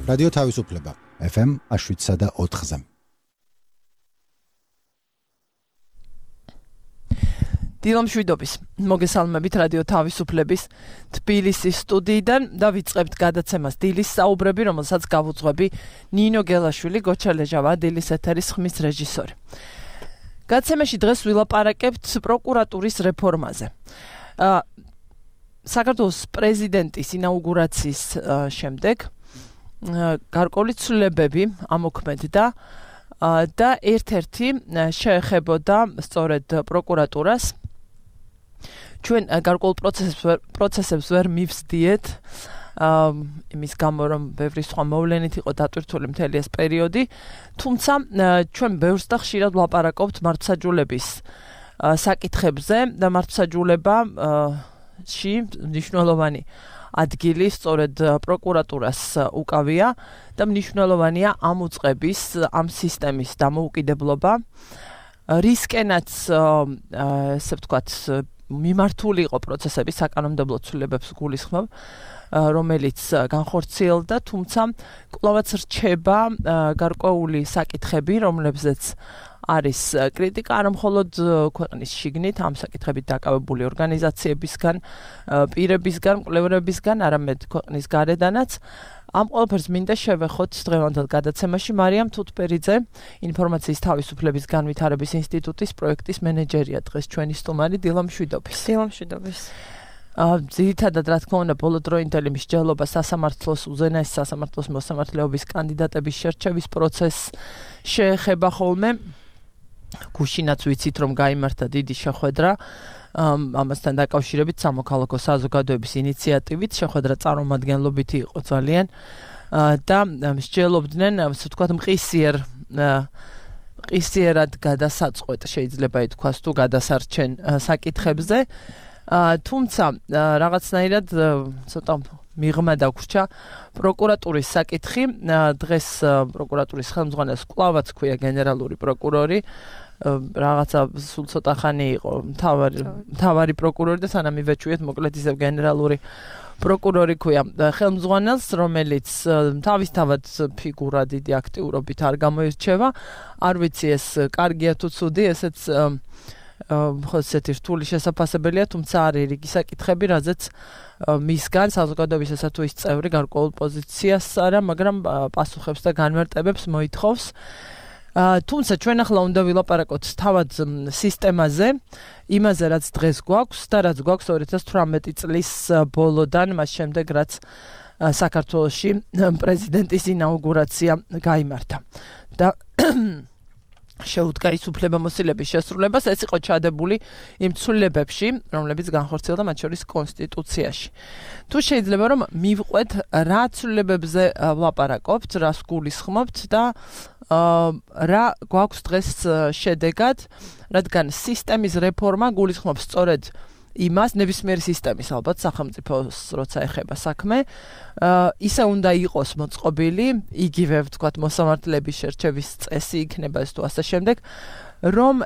რადიო თავისუფლება FM 7.4-ზე. დილამშვიდობის მოგესალმებით რადიო თავისუფლების თბილისის სტუდიიდან და ვიწყებთ გადაცემას დილის საუბრები, რომელსაც გავუძღვები ნინო გელაშვილი, გოჩალეჟავა, დილის ეთერის ხმის რეჟისორი. გადაცემაში დღეს ვილაპარაკებთ პროკურატურის რეფორმაზე. საქართველოს პრეზიდენტის ინაუგურაციის შემდეგ გარკვეული ცვლილებები ამოქმედდა და ერთ-ერთი შეეხებოდა სწორედ პროკურატურას. ჩვენ გარკვეულ პროცესებს ვერ მივსდიეთ, იმის გამო რომ ბევრი სხვა მოვლენით იყო დატვირთული მთელი ეს პერიოდი, თუმცა ჩვენ ბევრს და ხშირად ვლაპარაკობთ მართლმსაჯულების საკითხებზე და მართლმსაჯულებაში მნიშვნელოვანი ადგილი სწორედ პროკურატურას უკავია და მნიშვნელოვანია ამ უწყების, ამ სისტემის დამოუკიდებლობა. რისკენაც, ესე ვთქვათ, მიმართული იყო პროცესები საკანონმდებლო ცვლილებებს გულისხმობ, რომელიც განხორციელდა, თუმცა კვლავაც რჩება გარკვეული საკითხები, რომლებზეც არის კრიტიკა, არა მხოლოდ ქვეყნის შიგნით, ამ საკითხებით დაკავებული ორგანიზაციებისგან, პირებისგან, მკვლევრებისგან, არამედ ქვეყნის გარედანაც. ამ ყველაფერს მინდა შევეხოთ დღევანდელ გადაცემაში. მარიამ თუთბერიძე, ინფორმაციის თავისუფლების განვითარების ინსტიტუტის პროექტის მენეჯერია, დღეს ჩვენი სტუმარი. დილამშვიდობის. დილამშვიდობის. ძირითადად, რა თქმა უნდა, ბოლოდროინდელი მსჯელობა სასამართლოს, უზენაესი სასამართლოს მოსამართლეობის კანდიდატების შერჩევის პროცესს შეეხება ხოლმე. გუშინაც ვიცით, რომ გაიმართა დიდი შეხვედრა ამასთან დაკავშირებით სამოქალაქო საზოგადოების ინიციატივით, შეხვედრა წარმომადგენლობითი იყო ძალიან და მსჯელობდნენ, ასე ვთქვათ, მყისიერად გადასაწყვეტ, შეიძლება ითქვას, თუ გადასარჩენ საკითხებზე. თუმცა რაღაცნაირად ცოტა მიღმა დაგვრჩა პროკურატურის საკითხი. დღეს პროკურატურის ხელმძღვანელს კვლავაც ქვია გენერალური პროკურორი. რაღაცა სულ ცოტა ხანი იყო მთავარი პროკურორი და სანამ ივეჩვიეთ, მოკლედ ისევ გენერალური პროკურორი ქვია ხელმძღვანელს, რომელიც თავისთავად ფიგურა დიდი აქტიურობით არ გამოირჩევა. არ ვიცი ეს კარგია თუ ცუდი, ესეც ესეთი რთული შესაძლებელია, თუმცა არის რიგი საკითხები, რაზეც მისგან საზოგადოების ესა თუ ის წევრი გარკვეულ პოზიციას არა, მაგრამ პასუხებს და განმარტებებს მოითხოვს. თუმცა ჩვენ ახლა უნდა ვილაპარაკოთ თავად სისტემაზე, იმაზე, რაც დღეს გვაქვს და რაც გვაქვს 2018 წლის ბოლოდან, მას შემდეგ, რაც საქართველოში პრეზიდენტის ინაუგურაცია გაიმართა. და შეუდგა ის უფლებამოსილების შესრულებას, ეს იყო ჩადებული იმ ცვლილებებში, რომლებიც განხორციელდა მათ შორის კონსტიტუციაში. თუ შეიძლება რომ მივყვეთ, რა ცვლილებებზე ვლაპარაკობთ, რას გულისხმობთ და რა გვაქვს დღეს შედეგად, რადგან სისტემის რეფორმა გულისხმობს სწორედ იმას, ნებისმიერი სისტემის ალბათ სახელმწიფოს როცა ეხება საქმე, ისე უნდა იყოს მოწყობილი, იგივე ვთქვათ მოსამართლეების შერჩევის წესი იქნება ეს თუ ასე შემდეგ, რომ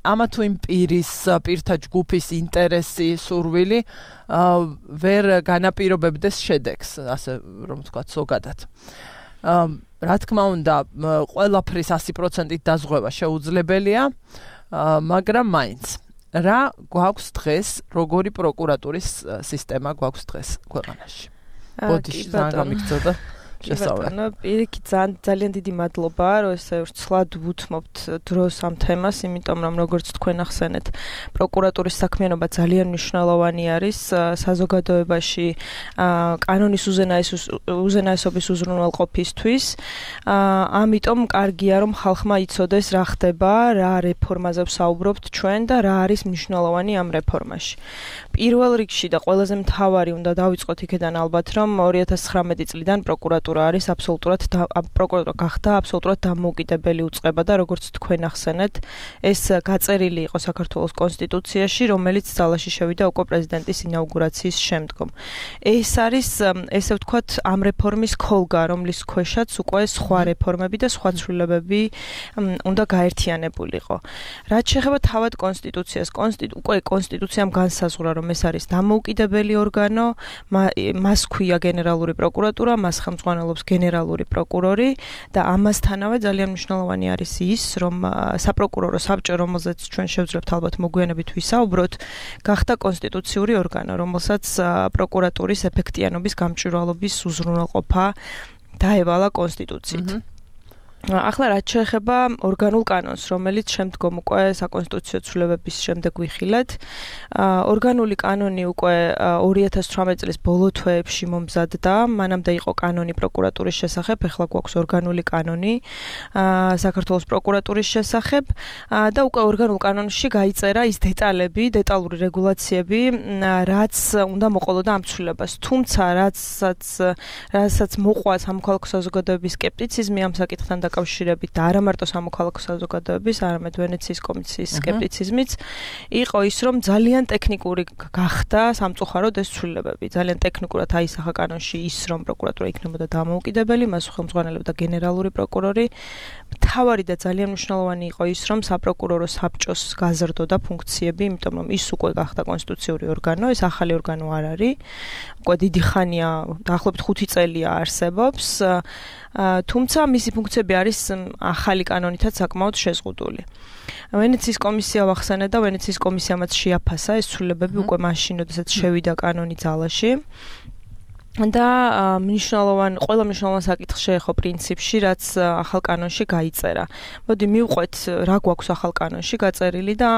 ამა თუ იმ პირთა ჯგუფის ინტერესი, სურვილი ვერ განაპირობებდეს შედეგს, ასე რომ ვთქვათ ზოგადად. რა თქმა უნდა, ყველაფრის 100%-ით დაზღვევა შეუძლებელია, მაგრამ მაინც რა გვაქვს დღეს, როგორი პროკურატურის სისტემა გვაქვს დღეს ქვეყანაში? ბოდიში ძალიან გამიგწოდა შესაძლოა. პირიქით ძალიან დიდი მადლობა, რომ ესე ვრცლად ვუთმობთ დროს ამ თემას, იმიტომ რომ როგორც თქვენ ახსენეთ, პროკურატურის საქმიანობა ძალიან მნიშვნელოვანი არის საზოგადოებაში კანონის უზენაესობის უზრუნველყოფისთვის. ამიტომ კარგია, რომ ხალხმა იცოდეს რა ხდება, რა რეფორმაზე ვსაუბრობთ ჩვენ და რა არის მნიშვნელოვანი ამ რეფორმაში. პირველ რიგში და ყველაზე მთავარი უნდა დავიწყოთ იქიდან ალბათ, რომ 2019 წლიდან პროკურატურა არის პროკურატურა გახდა აბსოლუტურად დამოუკიდებელი უწყება და როგორც თქვენ ახსენეთ, ეს გაწერილი იყო საქართველოს კონსტიტუციაში, რომელიც ძალაში შევიდა უკვე პრეზიდენტის ინაუგურაციის შემდგომ. ეს არის, ესე ვთქვათ, ამ რეფორმის ქოლგა, რომლის ქვეშაც უკვე სხვა რეფორმები და სხვა ცვლილებები უნდა გაერთიანებულიყო. რაც შეეხება თავად კონსტიტუციას, უკვე კონსტიტუციამ განსაზღვრა, რომ ეს არის დამოუკიდებელი ორგანო, მას ქვია გენერალური პროკურატურა, მას ხელმძღვანელობს ხელმძღვანელობს გენერალური პროკურორი და ამასთანავე ძალიან მნიშვნელოვანი არის ის, რომ საპროკურორო საბჭო, რომელზეც ჩვენ შევძლებთ ალბათ მოგვიანებით ვისაუბროთ, გახდა კონსტიტუციური ორგანო, რომელსაც პროკურატურის ეფექტიანობის გამჭვირვალობის უზრუნველყოფა დაევალა კონსტიტუციით. ახლა რაც შეეხება ორგანულ კანონს, რომელიც შემდგომ უკვე საკონსტიტუციო ცვლილებების შემდეგ ვიხილეთ, ორგანული კანონი უკვე 2018 წლის ბოლო თვეებში მომზადდა, მანამდე იყო კანონი პროკურატურის შესახებ, ახლა გვაქვს ორგანული კანონი საქართველოს პროკურატურის შესახებ და უკვე ორგანულ კანონში გაიწერა ის დეტალური რეგულაციები, რაც უნდა მოყოლოდა ამ ცვლილებას. თუმცა რასაც მოყვა სამოქალაქო საზოგადოების სკეპტიციზმი ამ საკითხთან დაკავშირებით და არა მარტო სამოქალაქო საზოგადოების, არამედ ვენეციის კომისიის სკეპტიციზმიც იყო ის, რომ ძალიან ტექნიკური გახდა სამწუხაროდ ეს ცვლილებები. ძალიან ტექნიკურად აისახა კანონში ის, რომ პროკურატურა იქნებოდა დამოუკიდებელი, მას ხელმძღვანელობდა გენერალური პროკურორი. მთავარი და ძალიან მნიშვნელოვანი იყო ის, რომ საპროკურორო საბჭოს გაზრდოდა ფუნქციები, იმიტომ რომ ის უკვე გახდა კონსტიტუციური ორგანო, ეს ახალი ორგანო არ არის. უკვე დიდი ხანია, დაახლოებით 5 წელია არსებობს. თუმცა მისი ფუნქციები არის ახალი კანონითაც საკმაოდ შეზღუდული. ვენეციის კომისია ვახსენე და ვენეციის კომისიამაც შეაფასა ეს ცვლილებები უკვე მაშინ, როდესაც შევიდა კანონი ძალაში. და ყველა მნიშვნელოვან საკითხს შეეხო პრინციპში, რაც ახალ კანონში გაიწერა. მოდი მივყვეთ, რა გვაქვს ახალ კანონში გაწერილი და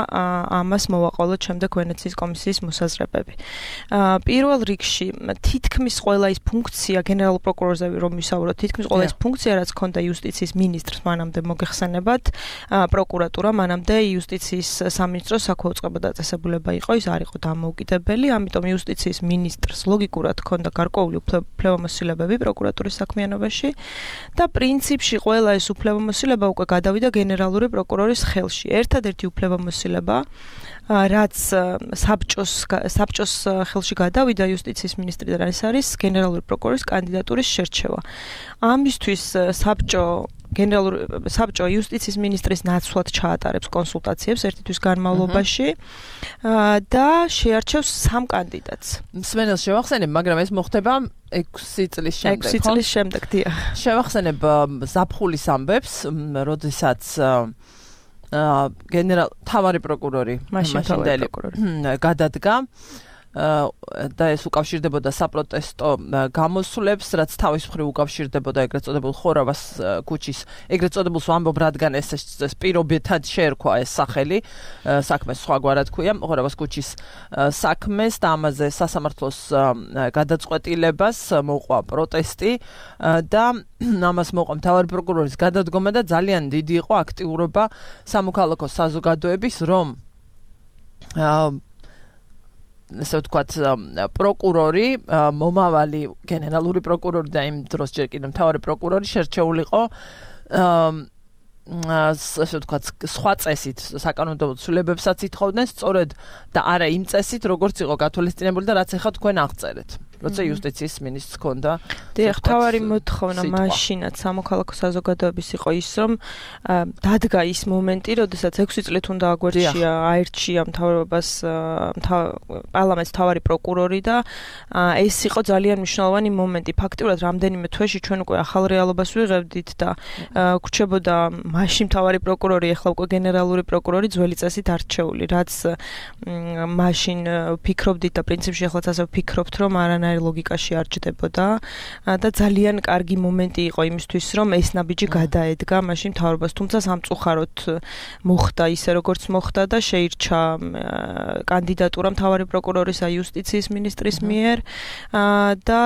ამას მოვაყოლოთ შემდეგ ვენეციის კომისიის მოსაზრებები. პირველ რიგში, თითქმის ყველა ის ფუნქცია, გენერალურ პროკურორზე რომ ვისაუბროთ, თითქმის ყველა ის ფუნქცია, რაც ჰქონდა იუსტიციის მინისტრს, მანამდე მოგეხსენებათ, პროკურატურა, მანამდე იუსტიციის სამინისტროს საქვეუწყებო დაწესებულება იყო, ის არ იყო დამოუკიდებელი, ამიტომ იუსტიციის მინისტრს ლოგიკურად ჰქონდა გარკვეული უფლებამოსილებები პროკურატურის საქმიანობაში და პრინციპში ყველა ეს უფლებამოსილება უკვე გადავიდა გენერალური პროკურორის ხელში. ერთადერთი უფლებამოსილება, რაც საბჭოს ხელში გადავიდა იუსტიციის მინისტრიდან, ეს არის გენერალური პროკურორის კანდიდატურის შერჩევა. ამისთვის საბჭო იუსტიციის მინისტრის ნაცვლად ჩაატარებს კონსულტაციებს ერთი თვის განმავლობაში და შეარჩევს 3 კანდიდატს. მსმენელს შევახსენებ, მაგრამ ეს მოხდება 6 წლის შემდეგ. 6 წლის შემდეგ, დიახ. შევახსენებ ზაფხულის ამბებს, როდესაც თავარი პროკურორი მაშინდელი გადადგა და ეს უკავშირდებოდა საპროტესტო გამოსვლებს, რაც თავის მხრივ უკავშირდებოდა ეგრეთ წოდებულ ხორავას ქუჩის, ეგრეთ წოდებულს ვამბობ, რადგან ეს პირობითად შეერქვა ეს სახელი, საქმეს სხვაგვარად ქვია, ხორავას ქუჩის საქმეს და ამაზე სასამართლოს გადაწყვეტილებას მოყვა პროტესტი და ამას მოყვა მთავარი პროკურორის გადადგომა და ძალიან დიდი იყო აქტიურობა სამოქალაქო საზოგადოების, რომ ესე ვთქვათ, პროკურორი, მომავალი გენერალური პროკურორი და იმ დროს ჯერ კიდევ მთავარი პროკურორი შერჩეულიყო ასე ვთქვათ, სხვა წესით საკანონმდებლო ცვლილებებსაც ითხოვდნენ, სწორედ და არა იმ წესით, როგორც იყო გათვალისწინებული და რაც ახლა თქვენ აღწერეთ. როცა იუსტიციის მინისტრს ჰქონდა. დიახ, მთავარი მოთხოვნა მაშინაც სამოქალაქო საზოგადოების იყო ის, რომ დადგა ის მომენტი, როდესაც 6 წლით უნდა აგვერჩია, აირჩია მთავრობას, პარლამენტს მთავარი პროკურორი და ეს იყო ძალიან მნიშვნელოვანი მომენტი. ფაქტიურად რამდენიმე თვეში ჩვენ უკვე ახალ რეალობას ვიღებდით და გვრჩებოდა მაშინ მთავარი პროკურორი, ახლა უკვე გენერალური პროკურორი ძველი წესით არჩეული, რაც მაშინ ფიქრობდით და პრინციპში ახლაც ასე ვფიქრობთ, რომ არანაირ ლოგიკაში არ ჯდებოდა და ძალიან კარგი მომენტი იყო იმისთვის, რომ ეს ნაბიჯი გადაედგა მაშინ მთავრობას, თუმცა სამწუხაროდ მოხდა ისე როგორც მოხდა და შეირჩა კანდიდატურა მთავარი პროკურორისა იუსტიციის მინისტრის მიერ და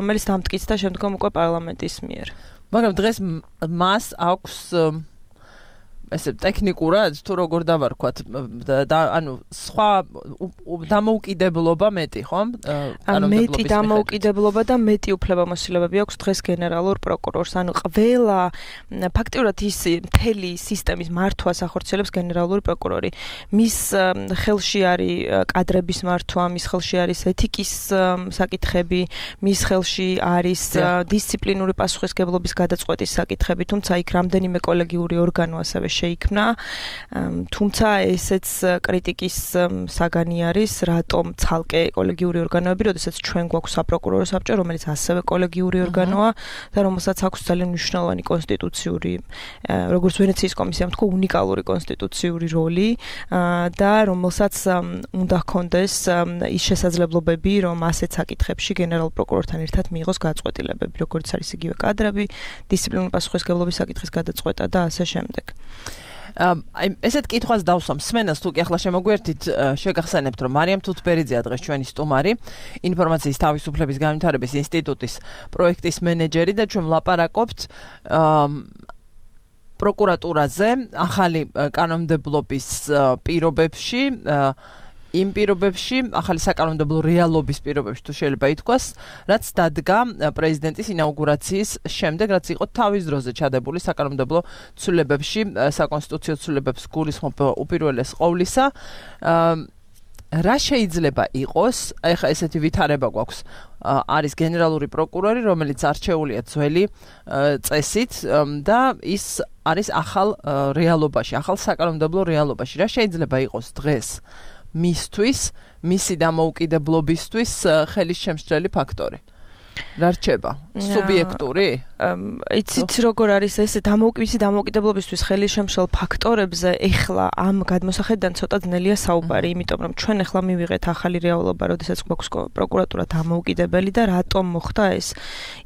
რომელიც დამტკიცდა შემდგომ უკვე პარლამენტის მიერ. მაგრამ დღეს მას აქვს ესე ტექნიკურად თუ როგორ დავარქვათ და ანუ სხვა დამოუკიდებლობა მეტი, ხო? მეტი დამოუკიდებლობა და მეტი უფლებამოსილებები აქვს დღეს გენერალურ პროკურორს. ანუ ყველა ფაქტიურად ის მთელი სისტემის მართვას ახორციელებს გენერალური პროკურორი. მის ხელში არის კადრების მართვა, მის ხელში არის ეთიკის საკითხები, მის ხელში არის დისციპლინური პასუხისმგებლობის გადაწყვეტის საკითხები, თუმცა იქ რამდენიმე კოლეგიური ორგანო ასევე შეიქმნა. თუმცა ესეც კრიტიკის საგანი არის, რატომ ცალკე კოლეგიური ორგანოები, როდესაც ჩვენ გვაქვს საპროკურორო საბჭო, რომელიც ასევე კოლეგიური ორგანოა და რომელსაც აქვს ძალიან მნიშვნელოვანი კონსტიტუციური, როგორც ვენეციის კომისიამ თქვა, უნიკალური კონსტიტუციური როლი და რომელსაც უნდა ჰქონდეს ის შესაძლებლობები, რომ ასეთ საკითხებში გენერალურ პროკურორთან ერთად მიიღოს გაწყვეტილებები, როგორც არის იგივე კადრები, დისციპლინური პასუხისმგებლობის საკითხის გადაწყვეტა და ასე შემდეგ. აი ესეთ კითხვას დავსვამ სმენას თუ კი ახლა შემოგვერთით შეგახსენებთ რომ მარიამ თუთბერიძეა დღეს ჩვენი სტუმარი ინფორმაციის თავისუფლების განვითარების ინსტიტუტის პროექტის მენეჯერი და ჩვენ ვლაპარაკობთ პროკურატურაზე ახალი კანონმდებლობის პირობებში იმ პირობებში, ახალი საკანონმდებლო რეალობის პირობებში თუ შეიძლება ითქვას, რაც დადგა პრეზიდენტის ინაუგურაციის შემდეგ, რაც იყო თავის დროზე ჩადებული საკანონმდებლო ცვლილებებში, საკონსტიტუციო ცვლილებებს გულისხმობ უპირველეს ყოვლისა. რა შეიძლება იყოს, ეხლა ესეთი ვითარება გვაქვს, არის გენერალური პროკურორი, რომელიც არჩეულია ძველი წესით და ის არის ახალ რეალობაში, ახალ საკანონმდებლო რეალობაში. რა შეიძლება იყოს დღეს მისთვის, მისი დამოუკიდებლობისთვის ხელის შემსწრელი ფაქტორი. რა რჩება? სუბიექტური? იცით როგორ არის ეს მისი დამოუკიდებლობისთვის ხელის შემსრელ ფაქტორებზე ეხლა ამ გადმოსახედიდან ცოტა ძნელია საუბარი, იმიტომ რომ ჩვენ ეხლა მივიღეთ ახალი რეალობა, როდესაც გვაქვს პროკურატურა დამოუკიდებელი და რატომ მოხდა ეს?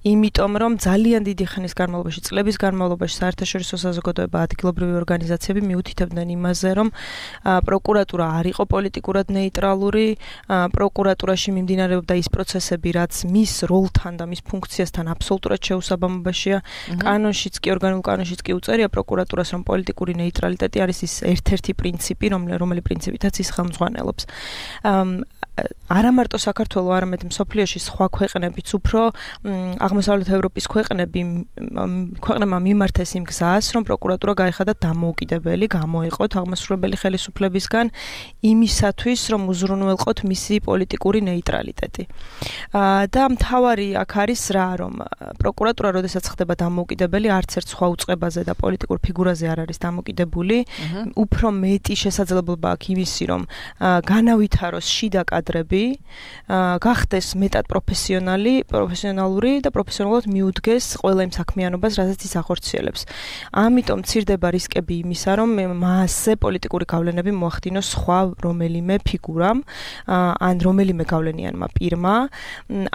იმიტომ რომ ძალიან დიდი ხნის განმავლობაში, წლების განმავლობაში საერთაშორისო საზოგადოება, ადგილობრივი ორგანიზაციები მიუთითებდნენ იმაზე, რომ პროკურატურა არ იყო პოლიტიკურად ნეიტრალური, პროკურატურაში მიმდინარეობდა ის პროცესები, რაც მის როლთან და მის ფუნქციასთან აბსოლუტურად შეუსაბამობაშია. კანონშიც კი, ორგანულ კანონშიც კი უწერია პროკურატურას, რომ პოლიტიკური ნეიტრალიტეტი არის ის ერთ-ერთი პრინციპი, რომელი პრინციპითაც ის ხელმძღვანელობს. არა მარტო საქართველოს, არამედ მსოფლიოში სხვა ქვეყნებიც უფრო აღმოსავლეთ ევროპის ქვეყნებმა მიმართეს იმ გზას, რომ პროკურატურა გაიხადათ დამოუკიდებელი, გამოეყოთ აღმასრულებელი ხელისუფლებისგან იმისათვის, რომ უზრუნველყოთ მისი პოლიტიკური ნეიტრალიტეტი. და მთავარი აქ არის რა, რომ პროკურატურა როდესაც ხდება დამოუკიდებელი, არც ერთ სხვა უწყებაზე და პოლიტიკურ ფიგურაზე არ არის დამოუკიდებული, უფრო მეტი შესაძლებლობა აქვს იმისი, რომ განავითაროს შიდა კადრები, გახდეს მეტად პროფესიონალური და პროფესიონალურად მიუდგეს ყველა იმ საქმიანობას, რასაც ის ახორციელებს. ამიტომ მცირდება რისკები იმისა, რომ მასზე პოლიტიკური გავლენები მოახდინოს სხვა რომელიმე ფიგურამ, ან რომელიმე გავლენიანმა პირმა.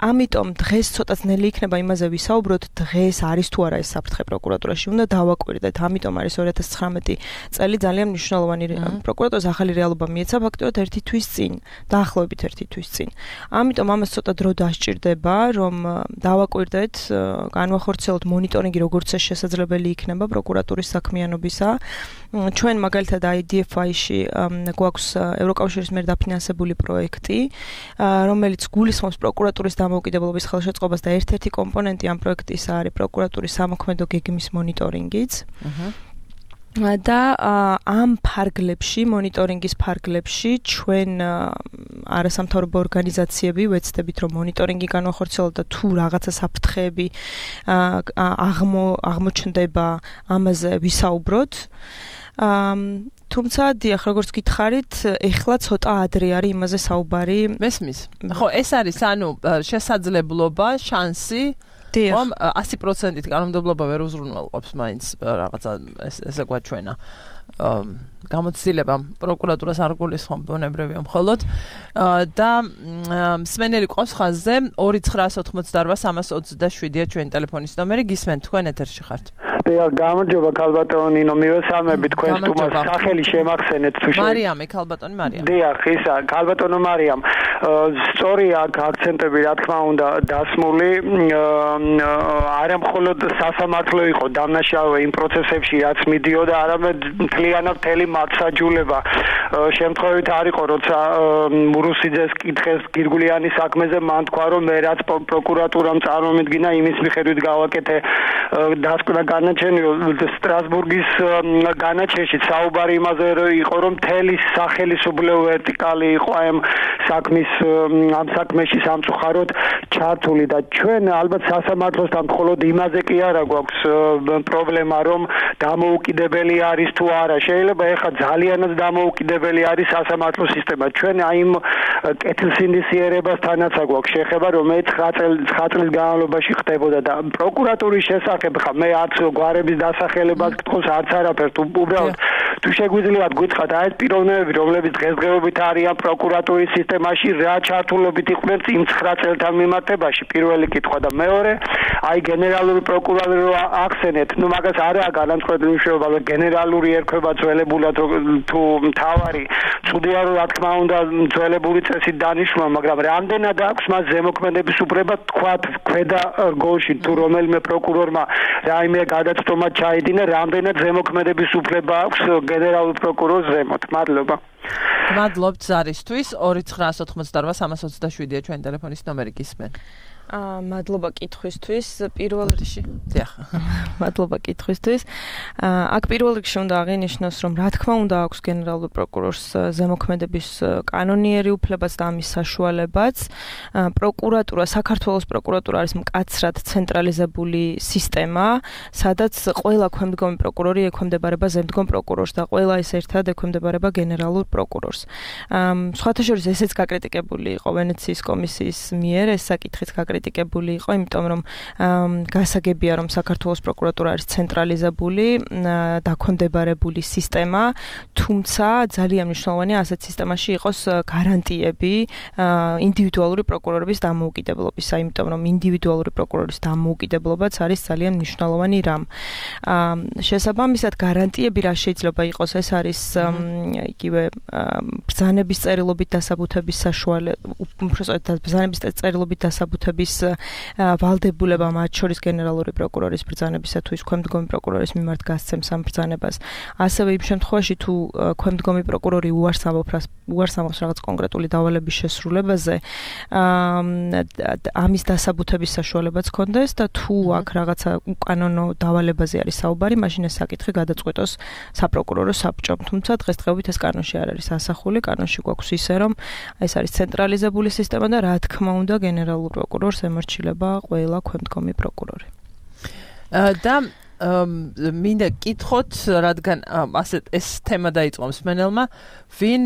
ამიტომ დღეს ცოტა ძნელი იქნება იმაზე ვისაუბროთ, დღეს არის თუ არა ეს საფრთხე პროკურატურაში, უნდა დავაკვირდეთ. ამიტომ არის 2019 წელი ძალიან მნიშვნელოვანი პროკურატურის ახალი რეალობა მიეცა ფაქტობრივად ერთი თვის წინ, დაახლოებით ერთი თვის წინ. ამიტომ ამას ცოტა დრო დასჭირდება, რომ დავაკვირდეთ, განვახორციელოთ მონიტორინგი, როგორც ეს შესაძლებელი იქნება პროკურატურის საქმიანობისა. ჩვენ მაგალითად IDFI-ში გვაქვს ევროკავშირის მიერ დაფინანსებული პროექტი, რომელიც გულისხმობს პროკურატურის დამოუკიდებლობის ხელშეწყობას და ერთ-ერთი კომპონენტი ამ პროექტისა არის პროკურატურის სამოქმედო გეგმის მონიტორინგიც. და ამ ფარგლებში, მონიტორინგის ფარგლებში ჩვენ არასამთავრობო ორგანიზაციები ვეცდებით, რომ მონიტორინგი განვახორციელოთ და თუ რაღაცა საფრთხეები აღმოჩნდება, ამაზე ვისაუბროთ. თუმცა დიახ, როგორც გითხარით, ეხლა ცოტა ადრე არის იმაზე საუბარი. მესმის. ხო, ეს არის შესაძლებლობა, შანსი რომ 100%-ით კანონმდებლობა ვერ უზრუნველყოფს მაინც რაღაცა ესე გვაჩვენა. გამოცდილება პროკურატურას არ გულისხმობ ბუნებრივია მხოლოდ და მსმენელი ყავს ხაზზე 2988327-ია ჩვენი ტელეფონის ნომერი. გისმენთ, თქვენ ეთერში ხართ. გამარჯობა ქალბატონი ნინო, მივესალმები თქვენ სტუმარს, სახელი შემახსენეთ თუ შეიძლება. მარიამი, ქალბატონი მარიამ. დიახ, ისა ქალბატონო მარიამ. სწორია აქ აქცენტები რა თქმა უნდა დასმული, არა მხოლოდ სასამართლო იყო დამნაშავე იმ პროცესებში, რაც მიდიოდა, არამედ მთლიანად მთელი მართსაჯულება. შემთხვევით არ იყო, როცა მურუსიძეს კითხეს გირგულიანის საქმეზე, მან თქვა, რომ მე რაც პროკურატურამ წარმომიდგინა, იმის მიხედვით გავაკეთე დასკვნა განაჩენი სტრასბურგის განაჩენში. საუბარი იმაზე იყო, რომ მთელი სახელისუფლებო ვერტიკალი იყო ამ ამ საქმეში სამწუხაროდ ჩართული და ჩვენ ალბათ სასამართლოსთან მხოლოდ იმაზე კი არა გვაქვს პრობლემა, რომ დამოუკიდებელი არის თუ არა. შეიძლება ეხლა ძალიანაც დამოუკიდებელი არის სასამართლო სისტემა. ჩვენ აი იმ კეთილსინდისიერებასთანაც გვაქვს შეხება, რომელიც 9 წლის განმავლობაში ხდებოდა და პროკურატურის შესახებ ხა მე არც გვარების დასახელებას გთხოვს, არც არაფერს. უბრალოდ თუ შეგვიძლიათ გითხრათ აი ეს პიროვნებები, რომლებიც დღესდღეობით არიან პროკურატურის სისტემაში, რა ჩართულობით იყვნენ იმ 9 წელთან მიმართებაში, პირველი კითხვა და მეორე, აი გენერალური პროკურორი რო ახსენეთ, ნუ მაგას არაა განამწყვეტი მნიშვნელობა, რომ გენერალური ერქვა ძველებულად თუ მთავარი, ცუდია რომ რა თქმა უნდა ძველებული წესით დანიშნულა, მაგრამ რამდენად აქვს მას ზემოქმედების უფლება თქვათ ქვედა რგოლში თუ რომელიმე პროკურორმა რაიმე გადაცდომა ჩაიდინა, რამდენად ზემოქმედების უფლება აქვს გენერალურ პროკურორს ზემოთ. მადლობა. მადლობთ ზარისთვის. 2988327-ია ჩვენი ტელეფონის ნომერი გისმენ. მადლობა კითხვისთვის. მადლობა კითხვისთვის. აქ პირველ რიგში უნდა აღინიშნოს, რომ რა თქმა უნდა აქვს გენერალურ პროკურორს ზემოქმედების კანონიერი უფლებაც და ამის საშუალებაც. პროკურატურა, საქართველოს პროკურატურა არის მკაცრად ცენტრალიზებული სისტემა, სადაც ყველა ქვემდგომი პროკურორი ექვემდებარება ზემდგომ პროკურორს და ყველა ის ერთად ექვემდებარება გენერალურ პროკურორს. სხვათა შორის ესეც გაკრიტიკებული იყო ვენეციის კომისიის მიერ, ეს საკითხიც კრიტიკებული იყო, იმიტომ რომ გასაგებია რომ საქართველოს პროკურატურა არის ცენტრალიზებული, დაქვემდებარებული სისტემა, თუმცა ძალიან მნიშვნელოვანია ასეთ სისტემაში იყოს გარანტიები ინდივიდუალური პროკურორების დამოუკიდებლობისა, იმიტომ რომ ინდივიდუალური პროკურორის დამოუკიდებლობაც არის ძალიან მნიშვნელოვანი რამ. შესაბამისად გარანტიები რა შეიძლება იყოს, ეს არის იგივე ბრძანების წერილობით დასაბუთების საშუალება, უბრალოდ ბრძანების წერილობით დასაბუთების ვალდებულება მათ შორის გენერალური პროკურორის ბრძანებისა თუ ის ქვემდგომი პროკურორის მიმართ გასცემს ამ ბრძანებას. ასევე იმ შემთხვევაში თუ ქვემდგომი პროკურორი უარს ამბობს რაღაც კონკრეტული დავალების შესრულებაზე, ამის დასაბუთების საშუალებაც ჰქონდეს და თუ აქ რაღაცა უკანონო დავალებაზე არის საუბარი, მაშინ ეს საკითხი გადაწყვეტოს საპროკურორო საბჭომ. თუმცა დღესდღეობით ეს კანონში არ არის ასახული, კანონში გვაქვს ისე რომ ეს არის ცენტრალიზებული სისტემა და რა თქმა უნდა გენერალურ პროკურორს ემორჩილება ყველა ქვემდგომი პროკურორი. და მინდა კითხოთ, რადგან ასეთ ეს თემა დაიწყო მსმენელმა, ვინ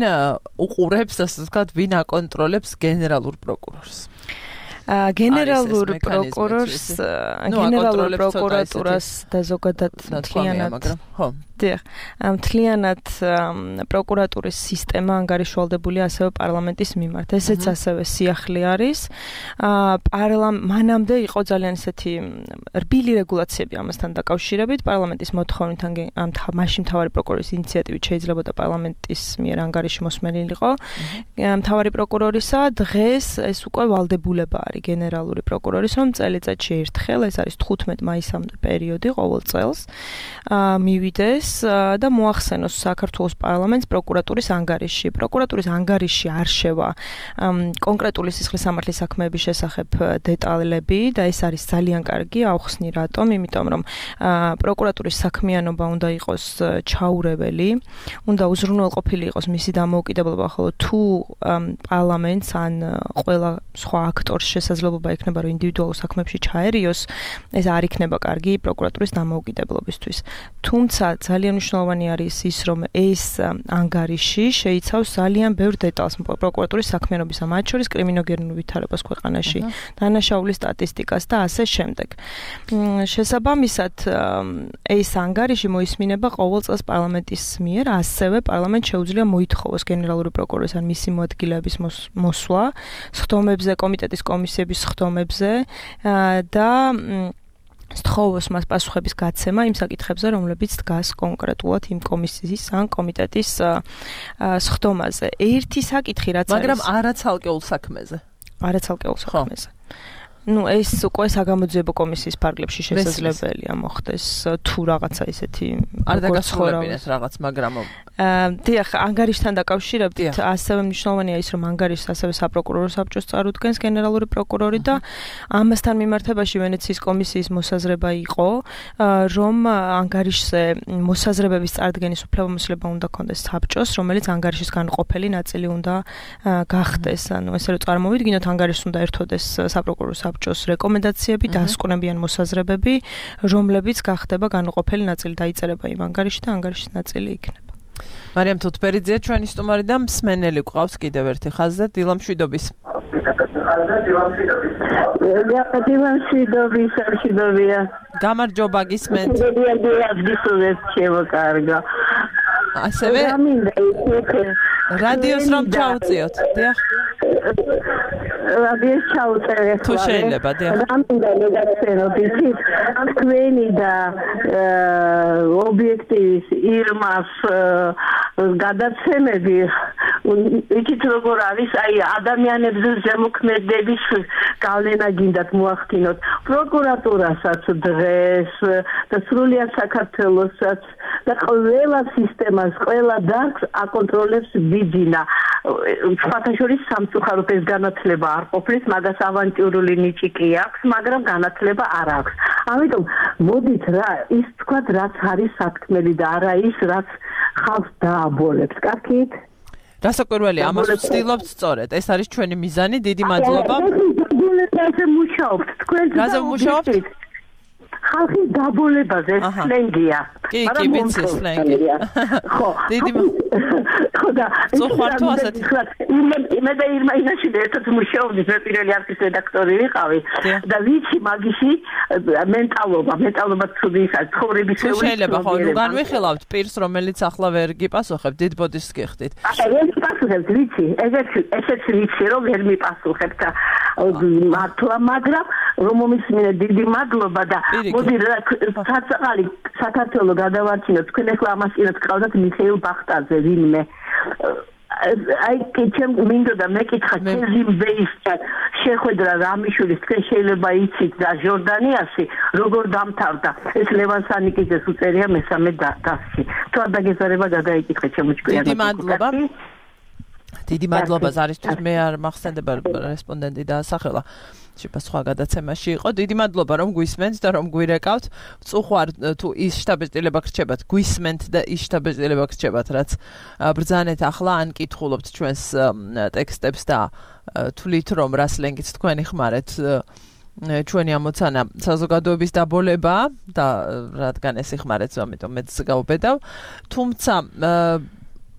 უყურებს, ასე ვთქვათ, ვინ აკონტროლებს გენერალურ პროკურორს? გენერალურ პროკურორს, გენერალურ პროკურატურას და ზოგადად მთლიანად პროკურატურის სისტემა ანგარიშვალდებულია ასევე პარლამენტის მიმართ. ესეც ასევე სიახლე არის. მანამდე იყო ძალიან ისეთი რბილი რეგულაციები ამასთან დაკავშირებით. პარლამენტის მოთხოვნით მაშინ მთავარი პროკურორის ინიციატივით შეიძლებოდა პარლამენტის მიერ ანგარიში მოსმენილიყო მთავარი პროკურორისა. დღეს ეს უკვე ვალდებულება არის გენერალური პროკურორის, რომ წელიწადში ერთხელ, ეს არის 15 მაისამდე პერიოდი ყოველ წელს, მივიდეს და მოახსენოს საქართველოს პარლამენტს პროკურატურის ანგარიში. პროკურატურის ანგარიში არშევა კონკრეტული სისხლისამართლის საქმეების შესახებ დეტალები და ეს არის ძალიან კარგი, ავხსნი რატომ, იმიტომ რომ პროკურატურის საქმიანობა უნდა იყოს ჩაურეველი, უნდა უზრუნველყოფილი იყოს მისი დამოუკიდებლობა, ხოლო თუ პარლამენტს ან ყველა სხვა აქტორს შესაძლებლობა ექნება რომ ინდივიდუალურ საქმეებში ჩაერიოს, ეს არ იქნება კარგი პროკურატურის დამოუკიდებლობისთვის. თუმცა ძალიან მნიშვნელოვანი არის ის, რომ ეს ანგარიში შეიცავს ძალიან ბევრ დეტალს პროკურატურის საქმიანობისა, მათ შორის კრიმინოგენურ ვითარებას ქვეყანაში, დანაშაულის სტატისტიკას და ასე შემდეგ. შესაბამისად, ეს ანგარიში მოისმინება ყოველ წელს პარლამენტის მიერ, ასევე პარლამენტს შეუძლია მოითხოვოს გენერალური პროკურორის ან მისი მოადგილეების მოსვლა სხდომებზე, კომიტეტის კომისიების სხდომებზე და სთხოვოს მას პასუხების გაცემა იმ საკითხებზე, რომლებიც დგას კონკრეტულად იმ კომისიის ან კომიტეტის სხდომაზე. ერთი საკითხი რაც არის, მაგრამ არაცალკეულ საქმეზე. არაცალკეულ საქმეზე. ну ეს უკვე საგამოძიებო კომისიის ფარგლებში შესაძლებელია მოხდეს თუ რაღაცა ისეთი არ დაგასრულებინეთ რაღაც მაგრამ დიახ ანგარიშთან დაკავშირებით ასევე მნიშვნელოვანია ის რომ ანგარიშს ასევე საპროკურორო საბჭოს წარუდგენს გენერალური პროკურორი და ამასთან მიმართებაში ვენეციის კომისიის მოსაზრება იყო რომ ანგარიშზე მოსაზრებების წარდგენის უფლებამოსილება უნდა ქონდეს საბჭოს რომელიც ანგარიშის განყოფელი ნაწილი უნდა გახდეს ანუ ესე რომ წარმოვიდგინოთ ანგარიშს უნდა ერთვოდეს საპროკურორო საბჭოს რეკომენდაციები დასკვნებიან მოსაზრებები რომლებიც გახდება განყოფელი ნაწილი დაიწერება იმ ანგარიშში და ანგარიშის ნაწილი იქნება მარიამ თუთბერიძე ჩვენი სტუმარი და მსმენელი გვყავს კიდევ ერთი ხაზზე დილამ შვიდობის გამარჯობა გისმენთ ასევე რადიოს რომ ჩაუწიოთ დიახ რადიოს ჩაუწერეთ თუ შეიძლება დიახ რამინდა მეგაცენოთ იცით თქვენი და ობიექტივის ირმას გადაცემები იცით როგორ არის აი ადამიანებზე ზემოქმედების გავლენა გინდათ მოახდინოთ პროკურატურასაც დღეს და სრულიად საქართველოსაც და ყველა სისტემას ყველა დარგს აკონტროლებს ბიძინა ფაქტობრივად სამწუხაროდ ეს განათლება არ ყოფნის მაგას ავანტიურული ნიჭი კი აქვს მაგრამ განათლება არ აქვს ამიტომ მოდით რა ის თქვა რაც არის სათქმელი და არა ის რაც ხალხს დააბოლებს კარგით რასაკვირველია ამას ვცდილობთ სწორედ ეს არის ჩვენი მიზანი დიდი მადლობა მუშაობთ თქვენ რაზე მუშაობთ ხალხის დაბოლებაზე სლენგია კი ვიცი სლენგი ხო დიდი ხო და ზოხართო ასეთი მე და ირმა ინაში ერთად მუშაობდი მე პირველი არქივის რედაქტორი ვიყავი და ვიცი მაგისი მენტალობა ცუდი ის არის ცხოვრების შეიძლება ხო ნუ განვიხილავთ პირს რომელიც ახლა ვერ გიპასუხებთ დიდ ბოდიშს გიხდით ვერ მიპასუხებთ ვიცი ესეც ვიცი რომ ვერ მიპასუხებთ მართლა მაგრამ რომ მომისმინე დიდი მადლობა და მოდი საწაღალი საქართველოს გადავარჩინოთ თქვენ ახლა ამას კიდევ გყავდათ მიხეილ ბახტაძე ვინმე აი კეთემ მინდოდა მეკითხა კეზიმბეისთან შეხვედრა რამიშვილის თქვენ შეიძლება იცით და ჟორდანიაში როგორ დამთავრდა ეს ლევან სანიკიძეს უწერია მესამე დასში თუ არ დაგეზარება გადაიკითხე ჩემოჭკვიან დიდი მადლობა ზარისთვის მე არ მახსენდება რესპონდენტი დაასახელა შეიძლება სხვა გადაცემაში იყო დიდი მადლობა რომ გვისმენთ და რომ გვირეკავთ წუხვარ თუ ის შტაბ-ბეჭდილება გრჩებათ გვისმენთ და ის შტაბ-ბეჭდილება გრჩებათ რაც ბრძანეთ ახლა ან კითხულობთ ჩვენს ტექსტებს და თვლით რომ რა სლენგით თქვენი ხმარეთ ჩვენი ამოცანა საზოგადოების დაბოლება და რადგან ეს იხმარეთ ამიტომ მეც გავბედავ თუმცა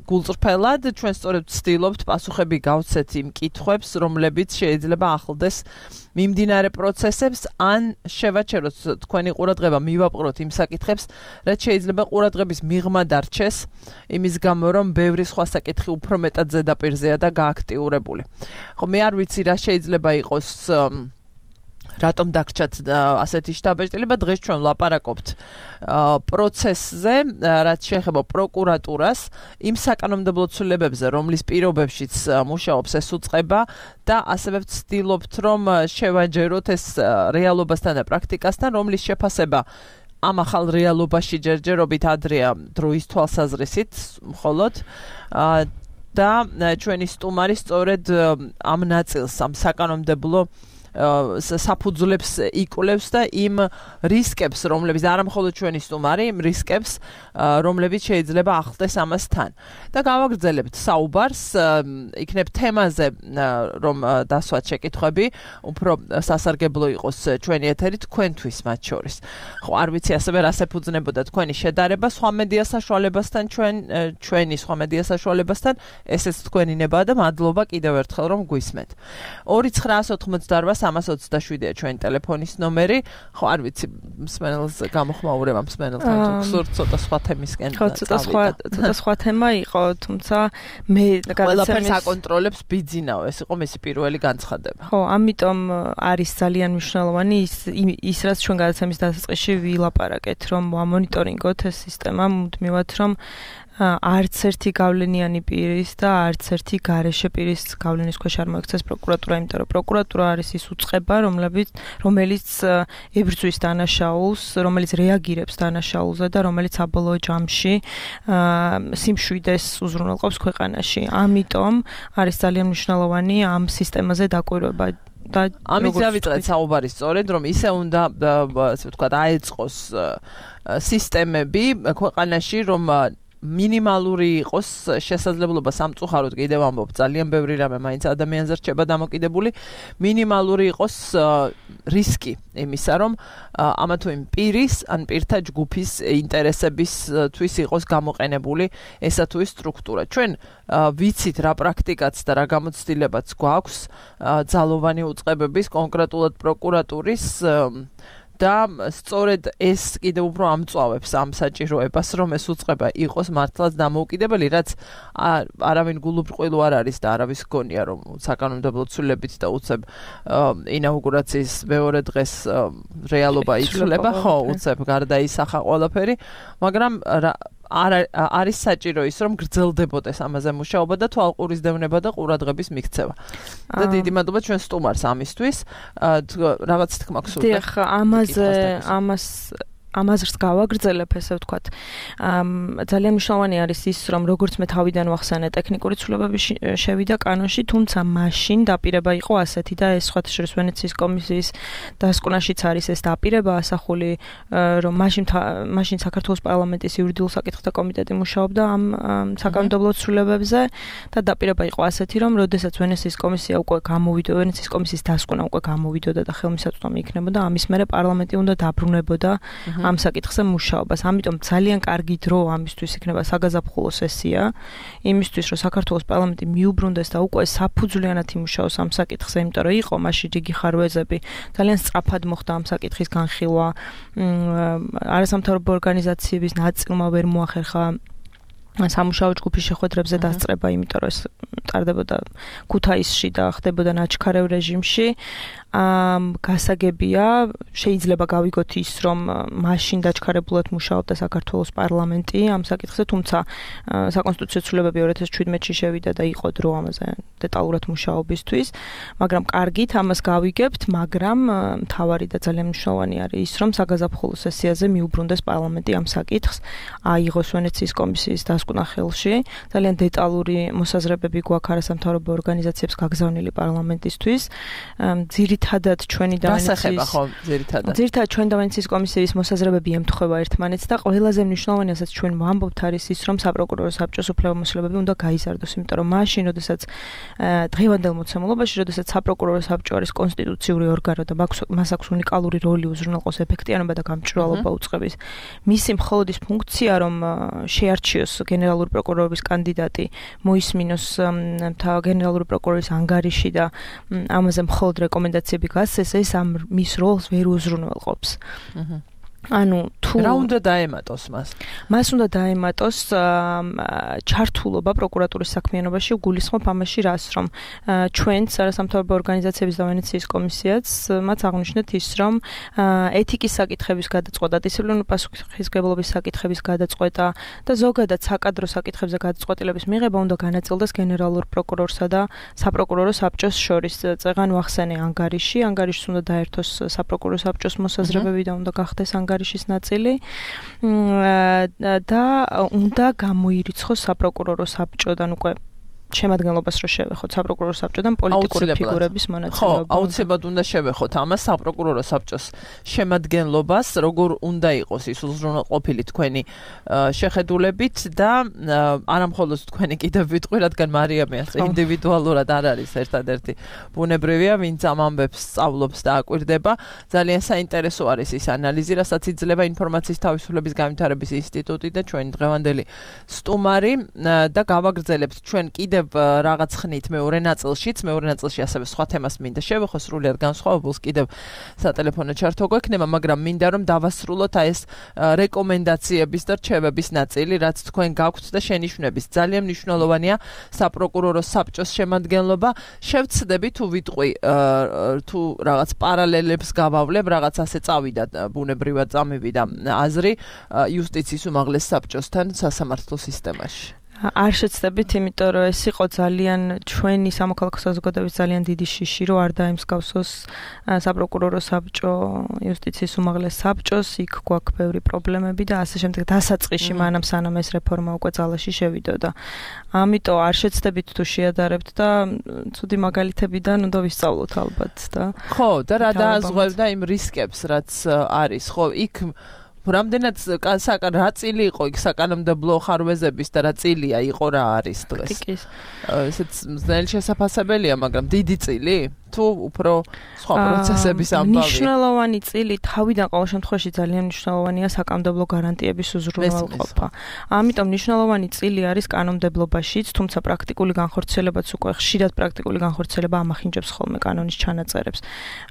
გულწრფელად ჩვენ სწორედ ვცდილობთ პასუხები გავცეთ იმ კითხვებს, რომლებიც შეიძლება ახლდეს მიმდინარე პროცესებს, ან შევაჩეროთ თქვენი ყურადღება, მივაპყროთ იმ საკითხებს, რაც შეიძლება ყურადღების მიღმა დარჩეს, იმის გამო, რომ ბევრი სხვა საკითხი უფრო მეტად ზედაპირზეა და გააქტიურებული. ხო, მე არ ვიცი რა შეიძლება იყოს რატომ დაგრჩათ ასეთი შტაბ-ბეჭდილება დღეს ჩვენ ვლაპარაკობთ პროცესზე რაც შეეხება პროკურატურას იმ საკანონმდებლო ცვლილებებზე რომლის პირობებშიც მუშაობს ეს უწყება და ასევე ვცდილობთ რომ შევაჯეროთ ეს რეალობასთან და პრაქტიკასთან რომლის შეფასება ამ ახალ რეალობაში ჯერჯერობით ადრეა დროის თვალსაზრისით მხოლოდ და ჩვენი სტუმარი სწორედ ამ ნაწილს ამ საკანონმდებლო საფუძვლებს იკვლევს და იმ რისკებს, რომლებიც არა მხოლოდ ჩვენი სტუმარი, იმ რისკებს, რომლებიც შეიძლება ახლდეს ამასთან. და გავაგრძელებთ საუბარს, იქნებ თემაზე, რომ დასვათ შეკითხვები, უფრო სასარგებლო იყოს ჩვენი ეთერი თქვენთვის მათ შორის. ხო, არ ვიცი ასევე რას ეფუძნებოდა თქვენი შედარება სხვა მედია საშუალებასთან, ჩვენი სხვა მედია საშუალებასთან, ესეც თქვენი ნება და მადლობა კიდევ ერთხელ რომ გვისმენთ. 2988 327-ია ჩვენი ტელეფონის ნომერი. ხო, არ ვიცი, მსმენელს გამოხმაურება მსმენელთან თუ გსურთ ცოტა სხვა თემისკენ. ხო, ცოტა სხვა თემა იყო, თუმცა მე ყველაფერს აკონტროლებს ბიძინაო, ეს იყო მისი პირველი განცხადება. ხო, ამიტომ არის ძალიან მნიშვნელოვანი ის რაც ჩვენ გადაცემის დასაწყისში ვილაპარაკეთ, რომ ამონიტორინგოთ ეს სისტემა, მუდმივად რომ არც ერთი გავლენიანი პირის და არც ერთი გარეშე პირის გავლენის ქვეშ არ მოექცეს პროკურატურა, იმიტომ რომ პროკურატურა არის ის უწყება, რომელიც ებრძვის დანაშაულს, რომელიც რეაგირებს დანაშაულზე და რომელიც საბოლოო ჯამში სიმშვიდეს უზრუნველყოფს ქვეყანაში. ამიტომ არის ძალიან მნიშვნელოვანი ამ სისტემაზე დაკვირვება. ამით დავიწყეთ საუბარი სწორედ, რომ ისე უნდა, ასე ვთქვათ, აეწყოს სისტემები ქვეყანაში, რომ მინიმალური იყოს შესაძლებლობა სამწუხაროდ კიდევ ამბობ ძალიან ბევრი რამე მაინც ადამიანზე რჩება დამოკიდებული მინიმალური იყოს რისკი იმისა რომ ამა თუ იმ პირის ან პირთა ჯგუფის ინტერესებისთვის იყოს გამოყენებული ესა თუ ის სტრუქტურა ჩვენ ვიცით რა პრაქტიკაც და რა გამოცდილებაც გვაქვს ძალოვანი უწყებების კონკრეტულად პროკურატურის და სწორედ ეს კიდევ უფრო ამწვავებს ამ საჭიროებას, რომ ეს უწყება იყოს მართლაც დამოუკიდებელი, რაც არავინ გულუბრყვილო არ არის და არავის გონია, რომ საკანონმდებლო ცვლილებით და უცებ ინაუგურაციის მეორე დღეს რეალობა იცვლება, ხო, უცებ გარდაისახა ყველაფერი, მაგრამ არის საჭირო ის, რომ გრძელდებოდეს ამაზე მუშაობა და თვალყურისდევნება და ყურადღების მიქცევა. და დიდი მადლობა ჩვენ სტუმარს ამისთვის. რაღაც თქმა გსურდა. დიახ, ამაზრს გავაგრძელებ, ესე ვთქვათ. ძალიან მნიშვნელოვანი არის ის, რომ როგორც მე თავიდან ვახსენე, ტექნიკური ცვლილებები შევიდა კანონში, თუმცა მაშინ დაპირება იყო ასეთი და ეს სხვათა შორის ვენეციის კომისიის დასკვნაშიც არის ეს დაპირება ასახული, რომ მაშინ საქართველოს პარლამენტის იურიდიულ საკითხთა კომიტეტი მუშაობდა ამ საკანონმდებლო ცვლილებებზე და დაპირება იყო ასეთი, რომ როდესაც ვენეციის კომისია უკვე გამოვიდა, ვენეციის კომისიის დასკვნა უკვე გამოვიდოდა და ხელმისაწვდომი იქნებოდა, ამის მერე პარლამენტი უნდა დაბრუნებოდა ამ საკითხზე მუშაობას. ამიტომ ძალიან კარგი დრო ამისთვის იქნება საგაზაფხულო სესია, იმისთვის რომ საქართველოს პარლამენტი მიუბრუნდეს და უკვე საფუძვლიანად იმუშაოს ამ საკითხზე, იმიტომ რომ იყო მაშინ რიგი ხარვეზები, ძალიან სწრაფად მოხდა ამ საკითხის განხილვა. არასამთავრობო ორგანიზაციების ნაწილმა ვერ მოახერხა სამუშაო ჯგუფის შეხვედრებზე დასწრება, იმიტომ რომ ეს ტარდებოდა ქუთაისში და ხდებოდა ნაჩქარეv რეჟიმში. გასაგებია, შეიძლება გავიგოთ ის, რომ მაშინ დაჩქარებულად მუშაობდა საქართველოს პარლამენტი ამ საკითხზე, თუმცა საკონსტიტუციო ცვლილებები 2017-ში შევიდა და იყო დრო ამაზე დეტალურად მუშაობისთვის, მაგრამ კარგით ამას გავიგებთ, მაგრამ მთავარი და ძალიან მნიშვნელოვანი არის ის, რომ საგაზაფხულო სესიაზე მიუბრუნდეს პარლამენტი ამ საკითხს, აიღოს ვენეციის კომისიის დასკვნა ხელში, ძალიან დეტალური მოსაზრებები გვაქვს არასამთავრობო ორგანიზაციებს გაგზავნილი პარლამენტისთვის. ძირითადად ჩვენი ვენეციის კომისიის მოსაზრებები ემთხვევა ერთმანეთს და ყველაზე მნიშვნელოვანი, რასაც ჩვენ ვამბობთ, არის ის, რომ საპროკურორო საბჭოს უფლებამოსილებები უნდა გაიზარდოს, იმიტომ რომ მაშინ, როდესაც დღევანდელ მოცემულობაში, როდესაც საპროკურორო საბჭო არის კონსტიტუციური ორგანო და მას აქვს უნიკალური როლი უზრუნველყოს ეფექტიანობა და გამჭვირვალობა უწყების, მისი მხოლოდ ის ფუნქცია, რომ შეარჩიოს გენერალური პროკურორის კანდიდატი, მოისმინოს გენერალური პროკურორის ანგარიში და ამაზე მხოლოდ რეკომენდაციები გასცეს, ეს ამ მის როლს ვერ უზრუნველყოფს. ანუ თუ რა უნდა დაემატოს მას? მას უნდა დაემატოს ჩართულობა პროკურატურის საქმიანობაში, გულისხმობ ამაში რას, რომ ჩვენც არასამთავრობო ორგანიზაციების და ვენეციის კომისიაც მათ აღნიშნეთ ის, რომ ეთიკის საკითხების გადაწყვეტა, დისციპლინური პასუხისმგებლობის საკითხების გადაწყვეტა და ზოგადად საკადრო საკითხებზე გადაწყვეტილების მიღება უნდა განაწილდეს გენერალურ პროკურორსა და საპროკურორო საბჭოს შორის. წეღან ვახსენე ანგარიში უნდა დაერთოს საპროკურორო საბჭოს მოსაზრებები და უნდა გახდეს ანგარიშის ნაწილი და უნდა გამოირიცხოს საპროკურორო საბჭოდან უკვე შემადგენლობას რო შევეხოთ საპროკურორო საბჭოდან პოლიტიკური ფიგურების მონაწილეობა. ხო, აუცილებლად უნდა შევეხოთ ამას საპროკურორო საბჭოს შემადგენლობას, როგორ უნდა იყოს ის უზრუნველყოფილი თქვენი შეხედულებით და არამხოლოდ თქვენი კიდევ ვიტყვი, რადგან მარიამი ასე ინდივიდუალურად არ არის ერთადერთი ბუნებრივია, ვინც ამ ამბებს სწავლობს და აკვირდება. ძალიან საინტერესო არის ის ანალიზი, რასაც იძლევა ინფორმაციის თავისუფლების განვითარების ინსტიტუტი და ჩვენი დღევანდელი სტუმარი და გავაგრძელებთ ჩვენ კიდევ კიდევ რაღაც ხნით მეორე ნაწილშიც, მეორე ნაწილში ასევე სხვა თემას მინდა შევეხო, სრულიად განსხვავებულს კიდევ სატელეფონო ჩართვა გვექნება, მაგრამ მინდა რომ დავასრულოთ აი ეს რეკომენდაციების და რჩევების ნაწილი, რაც თქვენ გაქვთ და შენიშვნების. ძალიან მნიშვნელოვანია საპროკურორო საბჭოს შემადგენლობა. შევცდები თუ ვიტყვი თუ რაღაც პარალელებს გავავლებ, რაღაც ასე წავიდა ბუნებრივად წამივიდა აზრი იუსტიციის უმაღლეს საბჭოსთან სასამართლო სისტემაში. არ შეცდებით, იმიტომ რომ ეს იყო ძალიან ჩვენი სამოქალაქო საზოგადოების ძალიან დიდი შიში, რომ არ დაემსგავსოს საპროკურორო საბჭო იუსტიციის უმაღლეს საბჭოს, იქ გვაქვს ბევრი პრობლემები და ასე შემდეგ დასაწყისში მანამ სანამ ეს რეფორმა უკვე ძალაში შევიდოდა. ამიტომ არ შეცდებით თუ შეადარებთ და ცუდი მაგალითებიდან უნდა ვისწავლოთ ალბათ და ხო, და რა დააზღვევდა იმ რისკებს, რაც არის. ხო, იქ რამდენად რა წილი იყო იქ საკანონმდებლო ხარვეზების და რა წილია იყო რა არის დღეს. ესეც ძნელი შესაძლებელია, მაგრამ დიდი წილი თუ უფრო სხვა პროცესების ამბავი. მნიშვნელოვანი წილი თავიდან ყოველ შემთხვევაში ძალიან მნიშვნელოვანია საკანონმდებლო გარანტიების უზრუნველყოფა. ამიტომ მნიშვნელოვანი წილი არის კანონმდებლობაშიც, თუმცა პრაქტიკული განხორციელებაც უკვე ხშირად პრაქტიკული განხორციელება ამახინჯებს ხოლმე კანონის ჩანაწერებს.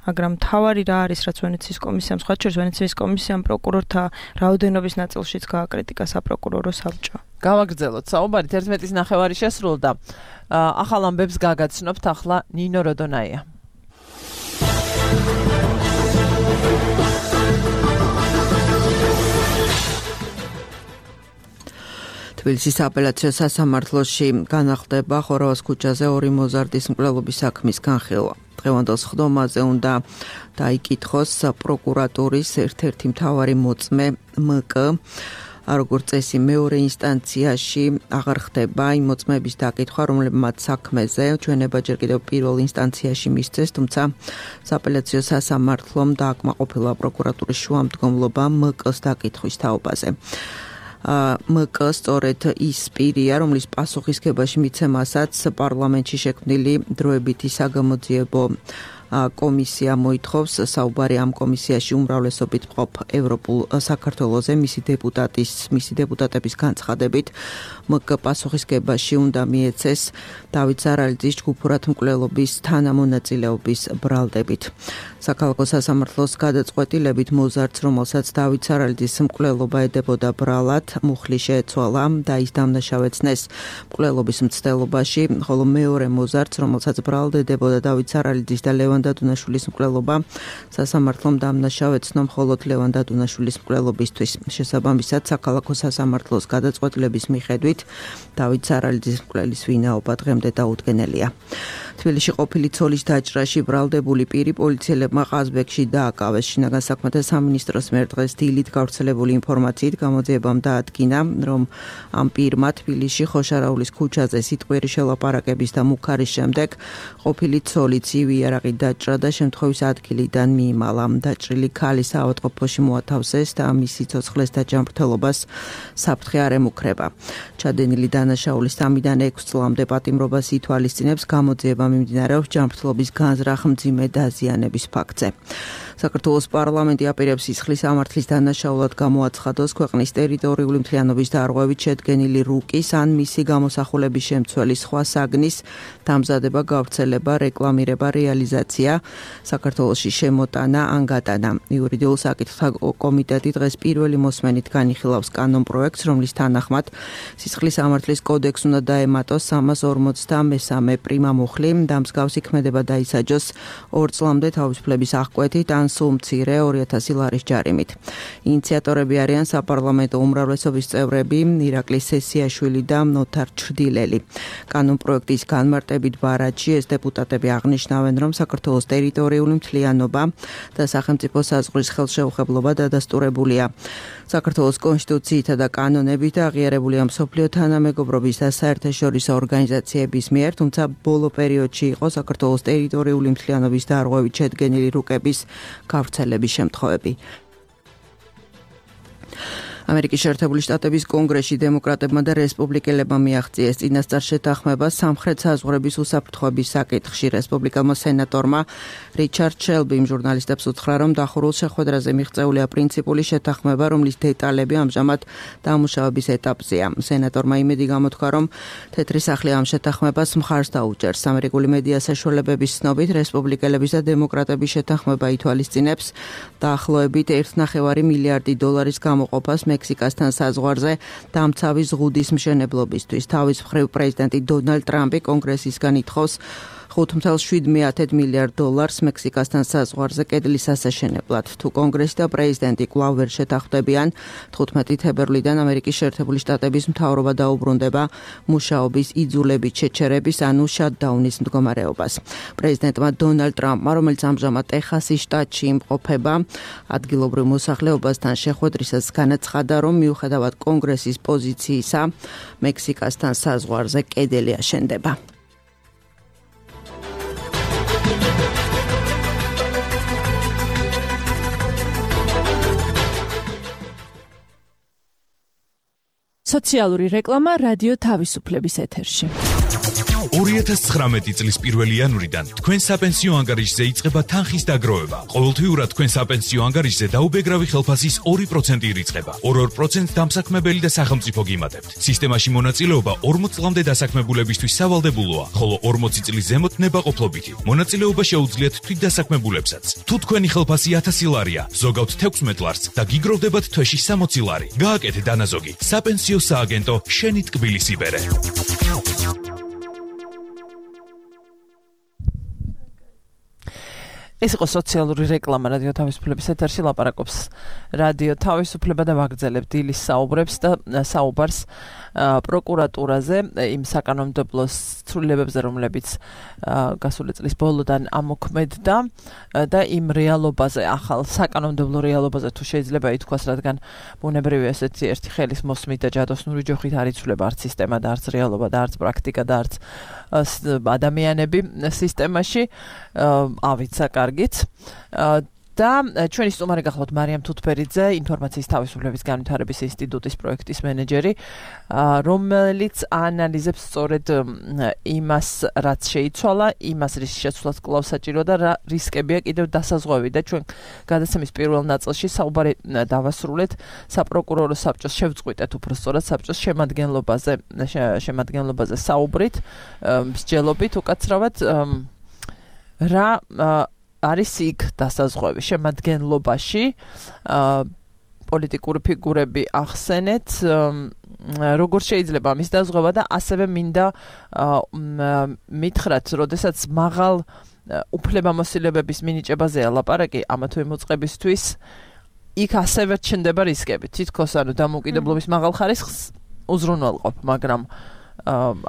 მაგრამ თავარი რა არის, რაც ვენეციის კომისიამ, სხვა შორის ვენეციის კომისიამ პროკურორთა რაოდენობის ნაწილშიც გააკრიტიკა საპროკურორო საბჭო. გავაგრძელოთ საუბარი 11:09 შესრულდა. ახალ ამბებს გაგაცნობთ ახლა ნინო როდონაია. თბილისის აპელაციო სასამართლოში განახლდება ხორავას ქუჩაზე 2 მოზარდის მკვლელობის საქმის განხილვა. დღევანდელ სხდომაზე უნდა დაიკითხოს პროკურატურის ერთ-ერთი მთავარი მოწმე მკ. როგორც წესი მეორე ინსტანციაში აღარ ხდება იმ მოწმეების დაკითხვა, რომლებმაც საქმეზე ჩვენება ჯერ კიდევ პირველ ინსტანციაში მისცეს, თუმცა სააპელაციო სასამართლომ დააკმაყოფილა პროკურატურის შუამდგომლობა მკ-ს დაკითხვის თაობაზე. მკ სწორედ ის პირია, რომლის პასუხისგებაში მიცემასაც პარლამენტში შექმნილი დროებითი საგამოძიებო კომისია მოითხოვს. საუბარი ამ კომისიაში უმრავლესობით მყოფ ევროპულ საქართველოზე მისი დეპუტატების განცხადებით მკ პასუხისგებაში უნდა მიეცეს დავით სარალიძის ჯგუფურად მკვლელობის თანამონაწილეობის ბრალდებით. საქალაქო სასამართლოს გადაწყვეტილებით მოზარდს, რომელსაც დავით სარალიძის მკვლელობა ედებოდა ბრალად, მუხლი შეეცვალა და ის დამნაშავეცნეს მკვლელობის მცდელობაში, ხოლო მეორე მოზარდს, რომელსაც ბრალად ედებოდა დავით სარალიძის და ლევან დადუნაშვილის მკვლელობა, სასამართლომ დამნაშავეცნო მხოლოდ ლევან დადუნაშვილის მკვლელობისთვის. შესაბამისად, საქალაქო სასამართლოს გადაწყვეტილების მიხედვით დავით სარალიძის მკვლელის ვინაობა დღემდე დაუდგენელია. თბილისში ყოფილი ცოლის დაჭრაში ბრალდებული პირი პოლიციელებმა ყაზბეგში დააკავეს. შინაგან საქმეთა სამინისტროს მიერ დღეს დილით გავრცელებული ინფორმაციით გამოძიებამ დაადგინა, რომ ამ პირმა თბილისში ხოშარაულის ქუჩაზე სიტყვიერი შელაპარაკების და მუქარის შემდეგ ყოფილი ცოლი ცივი იარაღით დაჭრა და შემთხვევის ადგილიდან მიიმალა. დაჭრილი ქალი საავადმყოფოში მოათავსეს და მისი ცოცხლეს დაჯანმრთელობას საფრთხე არ ემუქრება. ჩადენილი დანაშაულის 3-დან 6 წლამდე პატიმრობას ითვალისწინებს. გამოძიება მიმდინარეობს ჯანმრთელობის განზრახ მძიმე დაზიანების ფაქტზე. საქართველოს პარლამენტი აპირებს სისხლის სამართლის დანაშაულად გამოაცხადოს ქვეყნის ტერიტორიული მთლიანობის დარღვევით შედგენილი რუკის ან მისი გამოსახულების შემცველი სხვა საგნის დამზადება, გავრცელება, რეკლამირება, რეალიზაცია, საქართველოში შემოტანა ან გატანა. იურიდიულ საკითხთა კომიტეტი დღეს პირველი მოსმენით განიხილავს კანონპროექტს, რომლის თანახმად სისხლის სამართლის კოდექს უნდა დაემატოს 353 პრიმა მუხლი და მსგავსი ქმედება დაისაჯოს 2 წლამდე თავისუფლების აღკვეთით ან სულ მცირე 2000 ლარის ჯარიმით. ინიციატორები არიან საპარლამენტო უმრავლესობის წევრები ირაკლი სესიაშვილი და ნოთარ ჩრდილელი. კანონპროექტის განმარტებით ბარათში ეს დეპუტატები აღნიშნავენ, რომ საქართველოს ტერიტორიული მთლიანობა და სახელმწიფო საზღვრის ხელშეუხებლობა დადასტურებულია. საქართველოს კონსტიტუციითა და კანონებით აღიარებულია მსოფლიო თანამეგობრობის და საერთაშორისო ორგანიზაციების მიერ, თუმცა ბოლო პერიოდში იყო საქართველოს ტერიტორიული მთლიანობის დარღვევით შედგენილი რუკების გავრცელების შემთხვევები. ამერიკის შეერთებული შტატების კონგრესში დემოკრატებმა და რესპუბლიკელებმა მიაღწიეს წინასწარ შეთანხმება სამხრეთ საზღვრების უსაფრთხოების საკითხში. რესპუბლიკელმა სენატორმა რიჩარდ შელბიმ ჟურნალისტებს უთხრა, რომ დახურულ შეხვედრაზე მიღწეულია პრინციპული შეთანხმება, რომლის დეტალები ამჟამად დამუშავების ეტაპზეა. სენატორმა იმედი გამოთქვა, რომ თეთრი სახლი ამ შეთანხმებას მხარს დაუჭერს. ამერიკული მედია საშუალებების ცნობით, რესპუბლიკელების და დემოკრატების შეთანხმება ითვალისწინებს დაახლოებით 1.5 მილიარდი დოლარის გამოყოფას მექსიკასთან საზღვარზე დამცავი ზღუდის მშენებლობისთვის. თავის მხრივ პრეზიდენტი დონალდ ტრამპი კონგრესისგან ითხოვს 5.7 მილიარდ დოლარს მექსიკასთან საზღვარზე კედლის ასაშენებლად. თუ კონგრესი და პრეზიდენტი კვლავ ვერ შეთანხმდებიან, 15 თებერვლიდან ამერიკის შეერთებული შტატების მთავრობა დაუბრუნდება მუშაობის იძულებით შეჩერების ანუ შატდაუნის მდგომარეობას. პრეზიდენტმა დონალდ ტრამპმა, რომელიც ამჟამად ტეხასის შტატში იმყოფება, ადგილობრივ მოსახლეობასთან შეხვედრისას განაცხადა, რომ მიუხედავად კონგრესის პოზიციისა, მექსიკასთან საზღვარზე კედელი აშენდება. სოციალური რეკლამა რადიო თავისუფლების ეთერში. 2019 წლის 1 იანვრიდან თქვენ საპენსიო ანგარიშზე იწყება თანხის დაგროვება. ყოველთვიურად თქვენ საპენსიო ანგარიშზე დაუბეგრავი ხელფასის 2% ირიცხება. 2% დამსაქმებელი და სახელმწიფო გიმატებთ. სისტემაში მონაწილეობა 40 წლამდე დასაქმებულებისთვის სავალდებულოა, ხოლო 40 წლის ზემოთ ნებაყოფლობითი. მონაწილეობა შეუძლიათ თვითდასაქმებულებსაც. თუ თქვენი ხელფასი 1000 ლარია, ზოგავთ 16 ლარს და გიგროვდებათ თვეში 60 ლარი, გააკეთეთ დანაზოგი. საპენსიო სააგენტო შენი ტკბილის იბერე. ეს იყო სოციალური რეკლამა რადიო თავისუფლების ეთერში. ლაპარაკობს რადიო თავისუფლება და ვაგრძელებთ დილის საუბრებს და საუბარს პროკურატურაზე, იმ საკანონმდებლო ცვლილებებზე, რომლებიც გასული წლის ბოლოდან ამოქმედდა და იმ რეალობაზე, ახალ საკანონმდებლო რეალობაზე თუ შეიძლება ითქვას, რადგან ბუნებრივია ესეთი ერთი ხელის მოსმით და ჯადოსნური ჯოხით არ იცვლება არც სისტემა და არც რეალობა და არც პრაქტიკა და არც ადამიანები სისტემაში. ავით საკარგით. და ჩვენი სტუმარი გახლავთ მარიამ თუთბერიძე, ინფორმაციის თავისუფლების განვითარების ინსტიტუტის პროექტის მენეჯერი, რომელიც ანალიზებს სწორედ იმას, რაც შეიცვალა, იმას, რის შეცვლას კვლავ საჭირო და რა რისკებია კიდევ დასაზღვევი და ჩვენ გადაცემის პირველ ნაწილში საუბარი დავასრულეთ საპროკურორო საბჭოს შევწყვიტეთ უფრო სწორად საბჭოს შემადგენლობაზე საუბრით, მსჯელობით უკაცრავად რა არის იქ დასაზღვევი შემადგენლობაში პოლიტიკური ფიგურები ახსენეთ როგორ შეიძლება მის დაზღვევა და ასევე მინდა მითხრათ, როდესაც მაღალ უფლებამოსილებების მინიჭებაზეა ლაპარაკი ამა თუ იმ მოწყებისთვის, იქ ასევე ჩნდება რისკები. თითქოს ანუ დამოუკიდებლობის მაღალ ხარისხს უზრუნველყოფ, მაგრამ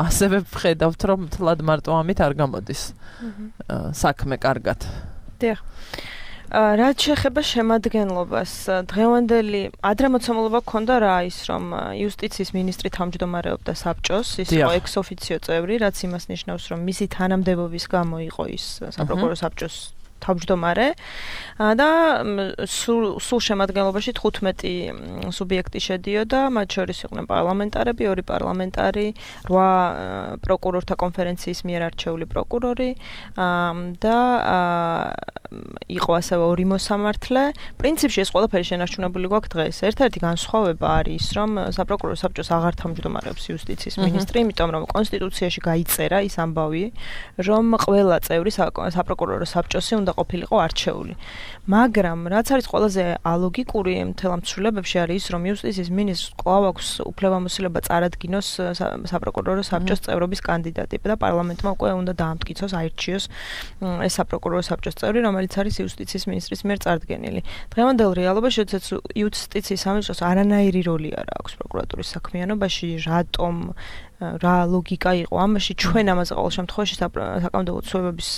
ასევე ვხედავთ, რომ თლად მარტო ამით არ გამოდის საქმე კარგად. დიახ. რაც შეეხება შემადგენლობას, დღევანდელი ადრე მოცემულობა ჰქონდა რა ის, რომ იუსტიციის მინისტრი თავმჯდომარეობდა საბჭოს, ის იყო ექს-ოფიციო წევრი, რაც იმას ნიშნავს, რომ მისი თანამდებობის გამო იყო ის საპროკურორო საბჭოს თავმჯდომარე და სულ შემადგენლობაში 15 სუბიექტი შედიოდა, მათ შორის იყვნენ პარლამენტარები, 2 პარლამენტარი, 8 პროკურორთა კონფერენციის მიერ არჩეული პროკურორი და იყო ასევე 2 მოსამართლე. პრინციპში ეს ყველაფერი შენარჩუნებული გვაქვს დღეს. ერთ-ერთი განსხვავება არის ის, რომ საპროკურორო საბჭოს აღარ თავმჯდომარეობს იუსტიციის მინისტრი, იმიტომ რომ კონსტიტუციაში გაიწერა ის ამბავი, რომ ყველა წევრი საპროკურორო საბჭოსი უნდა ყოფილიყო არჩეული. მაგრამ რაც არის ყველაზე ალოგიკური მთელ ამ ცვლილებებში არის ის, რომ იუსტიციის მინისტრს კვლავ აქვს უფლებამოსილება წარადგინოს საპროკურორო საბჭოს წევრობის კანდიდატი და პარლამენტმა უკვე უნდა დაამტკიცოს, აირჩიოს ეს საპროკურორო საბჭოს წევრი, რომელიც არის იუსტიციის მინისტრის მიერ წარდგენილი. დღევანდელ რეალობაში, როდესაც იუსტიციის სამინისტროს არანაირი როლი არ აქვს პროკურატურის საქმიანობაში, რატომ რა ლოგიკა იყო ამაში, ჩვენ ამაზე ყოველ შემთხვევაში საკანონმდებლო ცვლილებების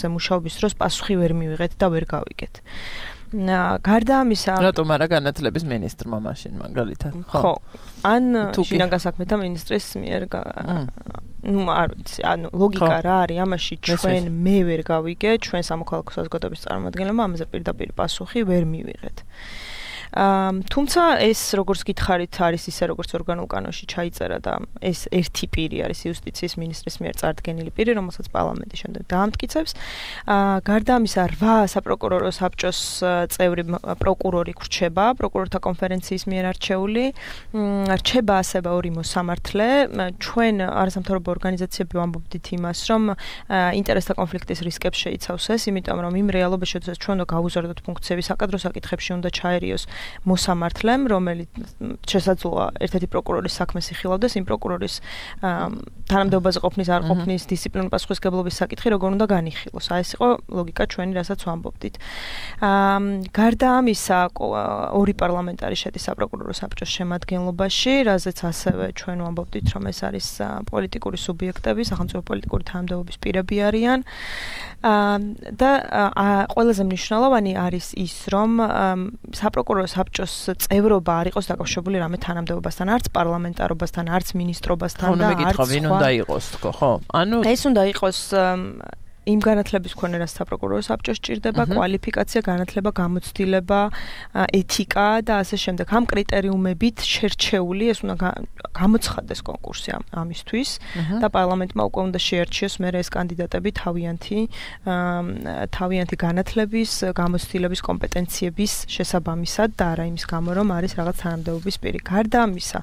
მუშაობის დროს პასუხი ვერ მივიღეთ და ვერ გავიგეთ. გარდა ამისა, რატომ არა განათლების მინისტრმა მაშინ მაგალითად? ხო. ან შინაგან საქმეთა მინისტრის მიერ არ ვიცი, ანუ ლოგიკა რა არის ამაში, ჩვენ მე ვერ გავიგე, ჩვენ სამოქალაქო საზოგადოების წარმომადგენლებმა ამაზე პირდაპირ პასუხი ვერ მივიღეთ. თუმცა ეს როგორც გითხარით არის ისე როგორც ორგანულ კანონში ჩაიწერა და ეს ერთი პირი არის იუსტიციის მინისტრის მიერ წარდგენილი პირი, რომელსაც პარლამენტი შემდეგ დაამტკიცებს. გარდა ამისა 8 საპროკურორო საბჭოს წევრი პროკურორი გრჩება პროკურორთა კონფერენციის მიერ არჩეული. რჩება ასევე 2 მოსამართლე. ჩვენ არასამთავრობო ორგანიზაციები ვამბობდით იმას, რომ ინტერესთა კონფლიქტის რისკებს შეიცავს ეს, იმიტომ რომ იმ რეალობაში, როდესაც ჩვენ უნდა გავუზარდოთ ფუნქციები საკადრო საკითხებში, უნდა ჩაერიოს მოსამართლემ, რომელიც შესაძლოა ერთ-ერთი პროკურორის საქმეს იხილავდეს, იმ პროკურორის თანამდებობაზე ყოფნის არ ყოფნის დისციპლინური პასუხისმგებლობის საკითხი როგორ უნდა განიხილოს. ეს იყო ლოგიკა ჩვენი, რასაც ვამბობდით. გარდა ამისა, 2 პარლამენტარი შედის საპროკურორო საბჭოს შემადგენლობაში, რაზეც ასევე ჩვენ ვამბობდით, რომ ეს არის პოლიტიკური სუბიექტები, სახელმწიფო პოლიტიკური თანამდებობის პირები არიან. და ყველაზე მნიშვნელოვანი არის ის, რომ საპროკურორო საბჭოს წევრობა არ იყოს დაკავშირებული რამე თანამდებობასთან, არც პარლამენტარობასთან, არც მინისტრობასთან და არც სხვა. ვინ უნდა იყოს თქო, ხო? ეს უნდა იყოს იმ განათლების მქონე, რაც საპროკურორო საბჭოს სჭირდება, კვალიფიკაცია, განათლება, გამოცდილება, ეთიკა და ასე შემდეგ. ამ კრიტერიუმებით შერჩეული ეს უნდა გამოცხადდეს კონკურსი ამისთვის და პარლამენტმა უკვე უნდა შეერჩიოს მერე ეს კანდიდატები თავიანთი განათლების, გამოცდილების, კომპეტენციების შესაბამისად და არა იმის გამო, რომ არის რაღაც თანამდებობის პირი. გარდა ამისა,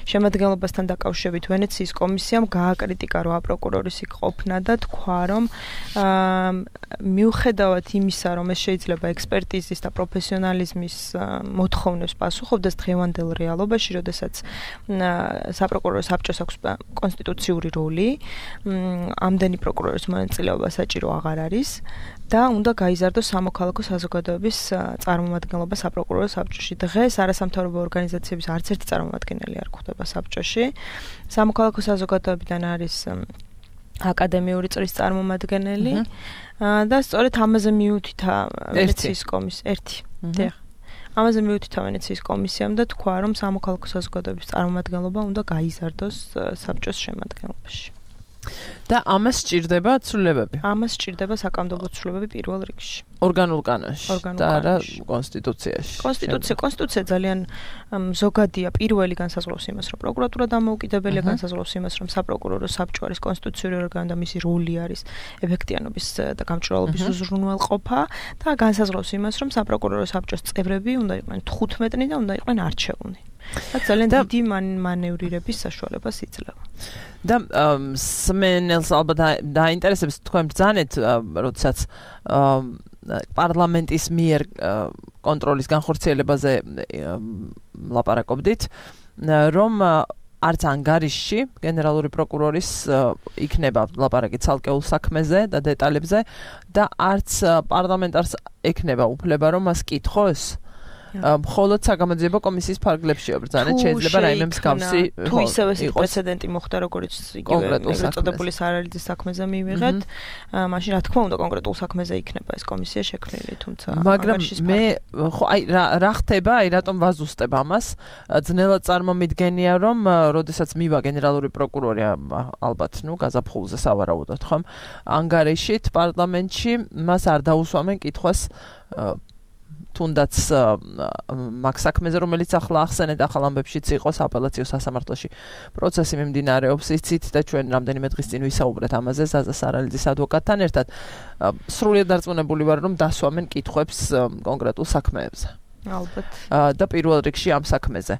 შემადგენლობასთან დაკავშირებით ვენეციის კომისიამ გააკრიტიკა 8 პროკურორის იქ ყოფნა და თქვა, რომ მიუხედავად იმისა, რომ ეს შეიძლება ექსპერტიზის და პროფესიონალიზმის მოთხოვნებს პასუხობდეს დღევანდელ რეალობაში, როდესაც საპროკურორო საბჭოს აქვს კონსტიტუციური როლი, ამდენი პროკურორის მონაწილეობა საჭირო აღარ არის და უნდა გაიზარდოს სამოქალაქო საზოგადოების წარმომადგენლობა საპროკურორო საბჭოში. დღეს არასამთავრობო ორგანიზაციების არც ერთი წარმომადგენელი არ გვხვდება საბჭოში. სამოქალაქო საზოგადოებიდან არის აკადემიური წრის წარმომადგენელი და სწორედ ამაზე მიუთითა ვენეციის კომისია ერთი. ამაზე მიუთითა ვენეციის კომისიამ და თქვა, რომ სამოქალაქო საზოგადოების წარმომადგენლობა უნდა გაიზარდოს საბჭოს შემადგენლობაში. და ამას სჭირდება ცვლილებები. ამას სჭირდება საკანონმდებლო ცვლილებები პირველ რიგში. ორგანულ კანონში და არა კონსტიტუციაში. კონსტიტუცია ძალიან ზოგადია. პირველი განსაზღვრავს იმას, რომ პროკურატურა დამოუკიდებელია, განსაზღვრავს იმას, რომ საპროკურორო საბჭო არის კონსტიტუციური ორგანო და მისი როლი არის ეფექტიანობის და გამჭვირვალობის უზრუნველყოფა და განსაზღვრავს იმას, რომ საპროკურორო საბჭოს წევრები უნდა იყვნენ 15 და უნდა იყვნენ არჩეულნი. და ძალიან დიდი მანევრირების საშუალებას იძლევა. და სმენელს ალბათ დაინტერესებს თქვენ ბრძანეთ, როდესაც პარლამენტის მიერ კონტროლის განხორციელებაზე ლაპარაკობდით, რომ არც ანგარიშში გენერალური პროკურორის იქნება ლაპარაკი ცალკეულ საქმეზე და დეტალებზე და არც პარლამენტარს ექნება უფლება, რომ მას კითხოს მხოლოდ საგამოძიებო კომისიის ფარგლებში ებრძანეთ, შეიძლება რაიმე მსგავსი თუ ისევ ეს პრეცედენტი მოხდა, როგორც იგივე ეგრეთწოდებული სარალიძის საქმეზე მივიღეთ, მაშინ რა თქმა უნდა კონკრეტულ საქმეზე იქნება ეს კომისია შექმნილი, თუმცა მაგრამ მე ხო აი რა ხდება, აი რატომ ვაზუსტებ ამას? ძნელად წარმომიდგენია, რომ როდესაც მივა გენერალური პროკურორი ალბათ, გაზაფხულზე სავარაუდოდ, ხომ? ანგარიშით პარლამენტში მას არ დაუსვამენ კითხვას თუნდაც მაგ საქმეზე, რომელიც ახლა ახსენეთ, ახალ ამბებშიც იყო აპელაციო სასამართლოში პროცესი მიმდინარეობს, იცით და ჩვენ რამდენიმე დღის წინ ვისაუბრეთ ამაზე ზაზა სარალიძის ადვოკატთან ერთად. სრულიად დარწმუნებული ვარ, რომ დასვამენ კითხვებს კონკრეტულ საქმეებზე. ალბათ. და პირველ რიგში ამ საქმეზე.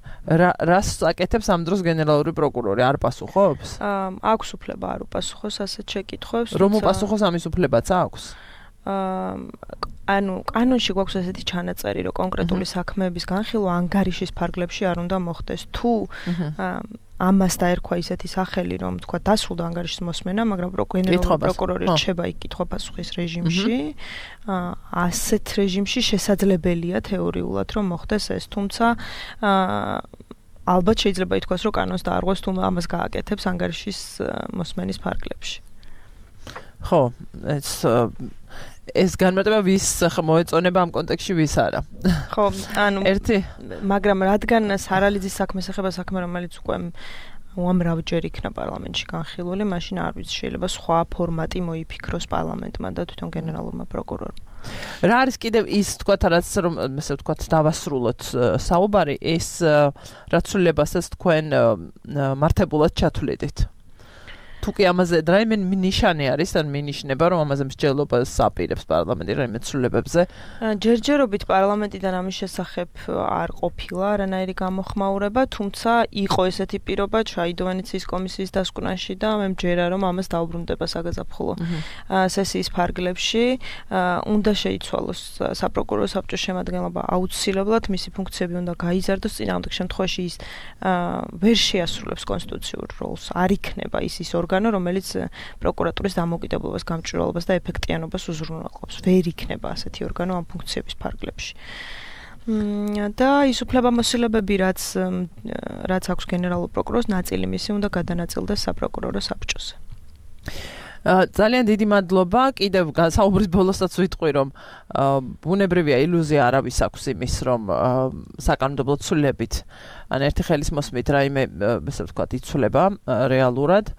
რას აკეთებს ამ დროს გენერალური პროკურორი? არ პასუხობს? აქვს უფლება არ უპასუხოს ასეთ შეკითხვებს. რომ უპასუხოს ამის უფლებაც აქვს? ანუ კანონში გვაქვს ესეთი ჩანაწერი, რომ კონკრეტული საქმეების განხილვა ანგარიშის ფარგლებში არ უნდა მოხდეს. თუ ამას დაერქვა ისეთი სახელი, რომ თქვა დასრულდა ანგარიშის მოსმენა, მაგრამ გენერალური პროკურორი რჩება იქ კითხვა-პასუხის რეჟიმში, ასეთ რეჟიმში შესაძლებელია თეორიულად, რომ მოხდეს ეს, თუმცა ალბათ შეიძლება ითქვას, რომ კანონს დაარღვევს, თუ ამას გააკეთებს ანგარიშის მოსმენის ფარგლებში. ხო, ეს განმარტება ვის მოეწონება ამ კონტექსტში ვის არა. ხო, ანუ ერთი, მაგრამ რადგან სარალიძის საქმეს ეხება საქმე, რომელიც უკვე უამრავჯერ იქნა პარლამენტში განხილული, მაშინ არ ვიცი, შეიძლება სხვა ფორმატი მოიფიქროს პარლამენტმა და თვითონ გენერალურმა პროკურორმა. რა არის კიდევ ის თქვათ რაც რომ ესე ვთქვათ დავასრულოთ საუბარი ეს რაც სრულებასაც თქვენ მართებულად ჩათვლიდით. თუ კი ამაზე რაიმე ნიშანი არის ან მინიშნება რომ ამაზე მსჯელობას აპირებს პარლამენტი რაიმე ცვლილებებზე ჯერჯერობით პარლამენტიდან ამის შესახებ არ ყოფილა არანაირი გამოხმაურება თუმცა იყო ესეთი პირობა ჩაიდო ვენეციის კომისიის დასკვნაში და მე მჯერა რომ ამას დაუბრუნდება საგაზაფხულო სესიის ფარგლებში უნდა შეიცვალოს საპროკურორო საბჭოს შემადგენლობა აუცილებლად მისი ფუნქციები უნდა გაიზარდოს წინააღმდეგ შემთხვევაში ის ვერ შეასრულებს კონსტიტუციურ როლს არ იქნება ის რომელიც პროკურატურის დამოუკიდებლობას, გამჭვირვალობას და ეფექტიანობას უზრუნველყოფს. ვერ იქნება ასეთი ორგანო ამ ფუნქციების ფარგლებში. და ის უფლებამოსილებები, რაც აქვს გენერალურ პროკურორს, ნაწილი მისი უნდა გადანაწილდეს საპროკურორო საბჭოზე. ძალიან დიდი მადლობა. კიდევ საუბრის ბოლოსაც ვიტყვი, რომ ბუნებრივია ილუზია არავის აქვს იმის, რომ საკანონმდებლო ცვლილებით ან ერთი ხელის მოსმით რაიმე ესე ვთქვათ იცვლება რეალურად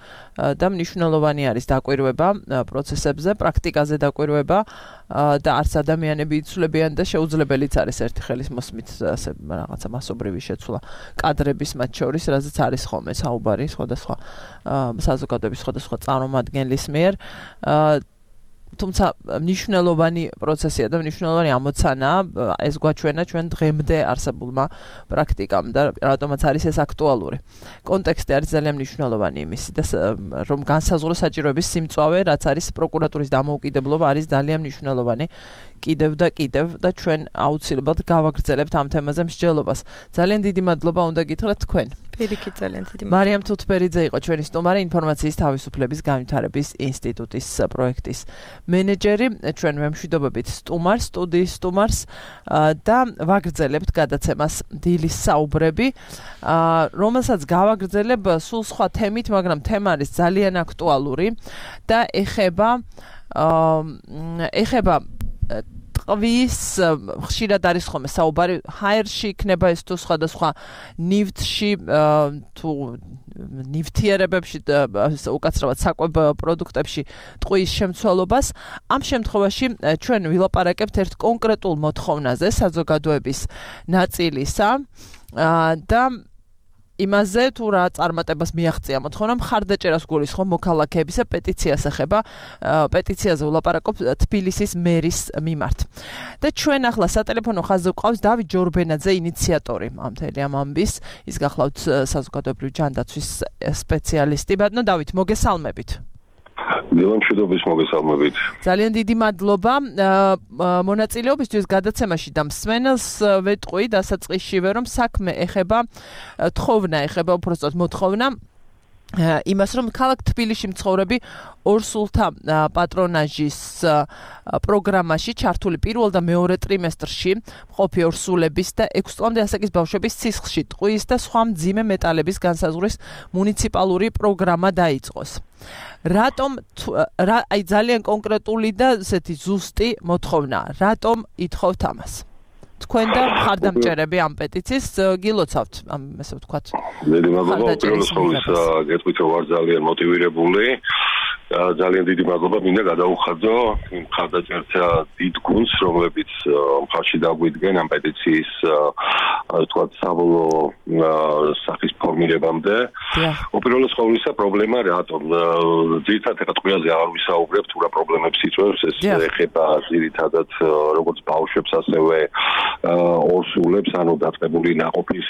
და მნიშვნელოვანი არის დაკვირვება პროცესებზე, პრაქტიკაზე დაკვირვება და არც ადამიანები იცვლებიან და შეუძლებელიც არის ერთი ხელის მოსმით ასე რაღაცა მასობრივი შეცვლა კადრების მათ შორის, რაზეც არის ხოლმე საუბარი სხვადასხვა საზოგადოების სხვადასხვა წარმომადგენლის მიერ თუმცა მნიშვნელოვანი პროცესია და მნიშვნელოვანი ამოცანაა ეს გვაჩვენა ჩვენ დღემდე არსებულმა პრაქტიკამ და რატომაც არის ეს აქტუალური. კონტექსტი არის ძალიან მნიშვნელოვანი იმისი და რომ განსაზღვრო საჭიროების სიმწვავე, რაც არის პროკურატურის დამოუკიდებლობა, არის ძალიან მნიშვნელოვანი კიდევ და ჩვენ აუცილებლად გავაგრძელებთ ამ თემაზე მსჯელობას. ძალიან დიდი მადლობა უნდა გითხრათ თქვენ. პირიქით ძალიან დიდი მადლობა. მარიამ თუთბერიძე იყო ჩვენი სტუმარი, ინფორმაციის თავისუფლების განვითარების ინსტიტუტის პროექტის მენეჯერი. ჩვენ ვემშვიდობებით სტუდიის სტუმარს და ვაგრძელებთ გადაცემას დილის საუბრები, რომელსაც გავაგრძელებ სულ სხვა თემით, მაგრამ თემა არის ძალიან აქტუალური და ეხება ტყვის ხშირად არის ხოლმე საუბარი ჰაერში იქნება ეს თუ სხვადასხვა ნივთში თუ ნივთიერებებში უკაცრავად საკვებ პროდუქტებში ტყვის შემცველობას ამ შემთხვევაში ჩვენ ვილაპარაკებთ ერთ კონკრეტულ მოთხოვნაზე საზოგადოების ნაწილისა და იმაზე თუ რა წარმატებას მიაღწია მოთხოვნა მხარდაჭერას გულისხმობ მოქალაქეებისა პეტიციას ეხება პეტიციაზე ვლაპარაკობ თბილისის მერის მიმართ და ჩვენ ახლა სატელეფონო ხაზზე გვყავს დავით ჯორბენაძე ინიციატორი ამ მთელი ამ ამბის ის გახლავთ საზოგადოებრივი ჯანდაცვის სპეციალისტი ბატონო დავით მოგესალმებით მშვიდობის მოგესალმებით. ძალიან დიდი მადლობა მონაწილეობისთვის გადაცემაში და მსმენელს ვეტყვი დასაწყისშივე რომ საქმე ეხება უпростоოდ მოთხოვნა იმას რომ ქალაქ თბილისში მცხოვრები ორსულთა პატრონაჟის პროგრამაში ჩართული პირველ და მეორე ტრიმესტრში მყოფი ორსულების და 6 წლამდე ასაკის ბავშვების სისხლში ტყვის და სხვა მძიმე მეტალების განსაზღვრის მუნიციპალური პროგრამა დაიწყოს. რატომ აი ძალიან კონკრეტული და ესეთი ზუსტი მოთხოვნა. რატომ ითხოვთ ამას? თქვენ და მხარდამჭერები ამ პეტიციის გილოცავთ ამ ესე ვთქვათ. დიდი მადლობა პირველ ყოვლისა გეტყვით რომ ვარ ძალიან მოტივირებული. ძალიან დიდი მადლობა მინდა გადაუხადო იმ მხარდაჭერთა დიდ გუნდს რომლებიც მხარში დაგვიდგენ ამ პეტიციის ვთქვათ საბოლოო სახის ფორმირებამდე. უპირველეს ყოვლისა პრობლემა რატომ ძირითადად ტყუილზე არ ვისაუბრებ თუ რა პრობლემებს იწვევს ეს ეხება ძირითადად როგორც ბავშვებს ასევე ორსულებს ანუ დაწყებული ნაყოფის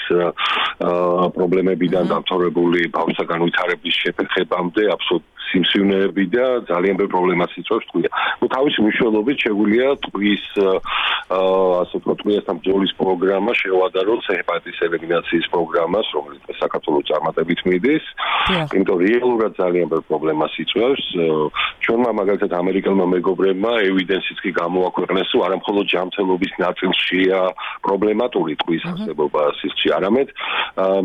პრობლემებიდან დამთავრებული ბავშვთა განვითარების შეფერხებამდე აბსოლუტურად სიმსივნეები და ძალიან ბევრ პრობლემას იწვევს ტყვია. ნუ თავისი მნიშვნელობით შეგვიძლია ტყვის ასე ვთქვათ ტყვიასთან ბრძოლის პროგრამა შევადაროთ ჰეპატიტის ელიმინაციის პროგრამას, რომელიც საქართველოს წარმატებით მიდის. იმიტომ რეალურად ძალიან ბევრ პრობლემას იწვევს. ჩვენმა მაგალითად ამერიკელმა მეგობრებმა ევიდენსიც კი გამოაქვეყნეს, რომ არა მხოლოდ ჯანმრთელობის ნაწილშია პრობლემატური ტყვის არსებობა სისხლში, არამედ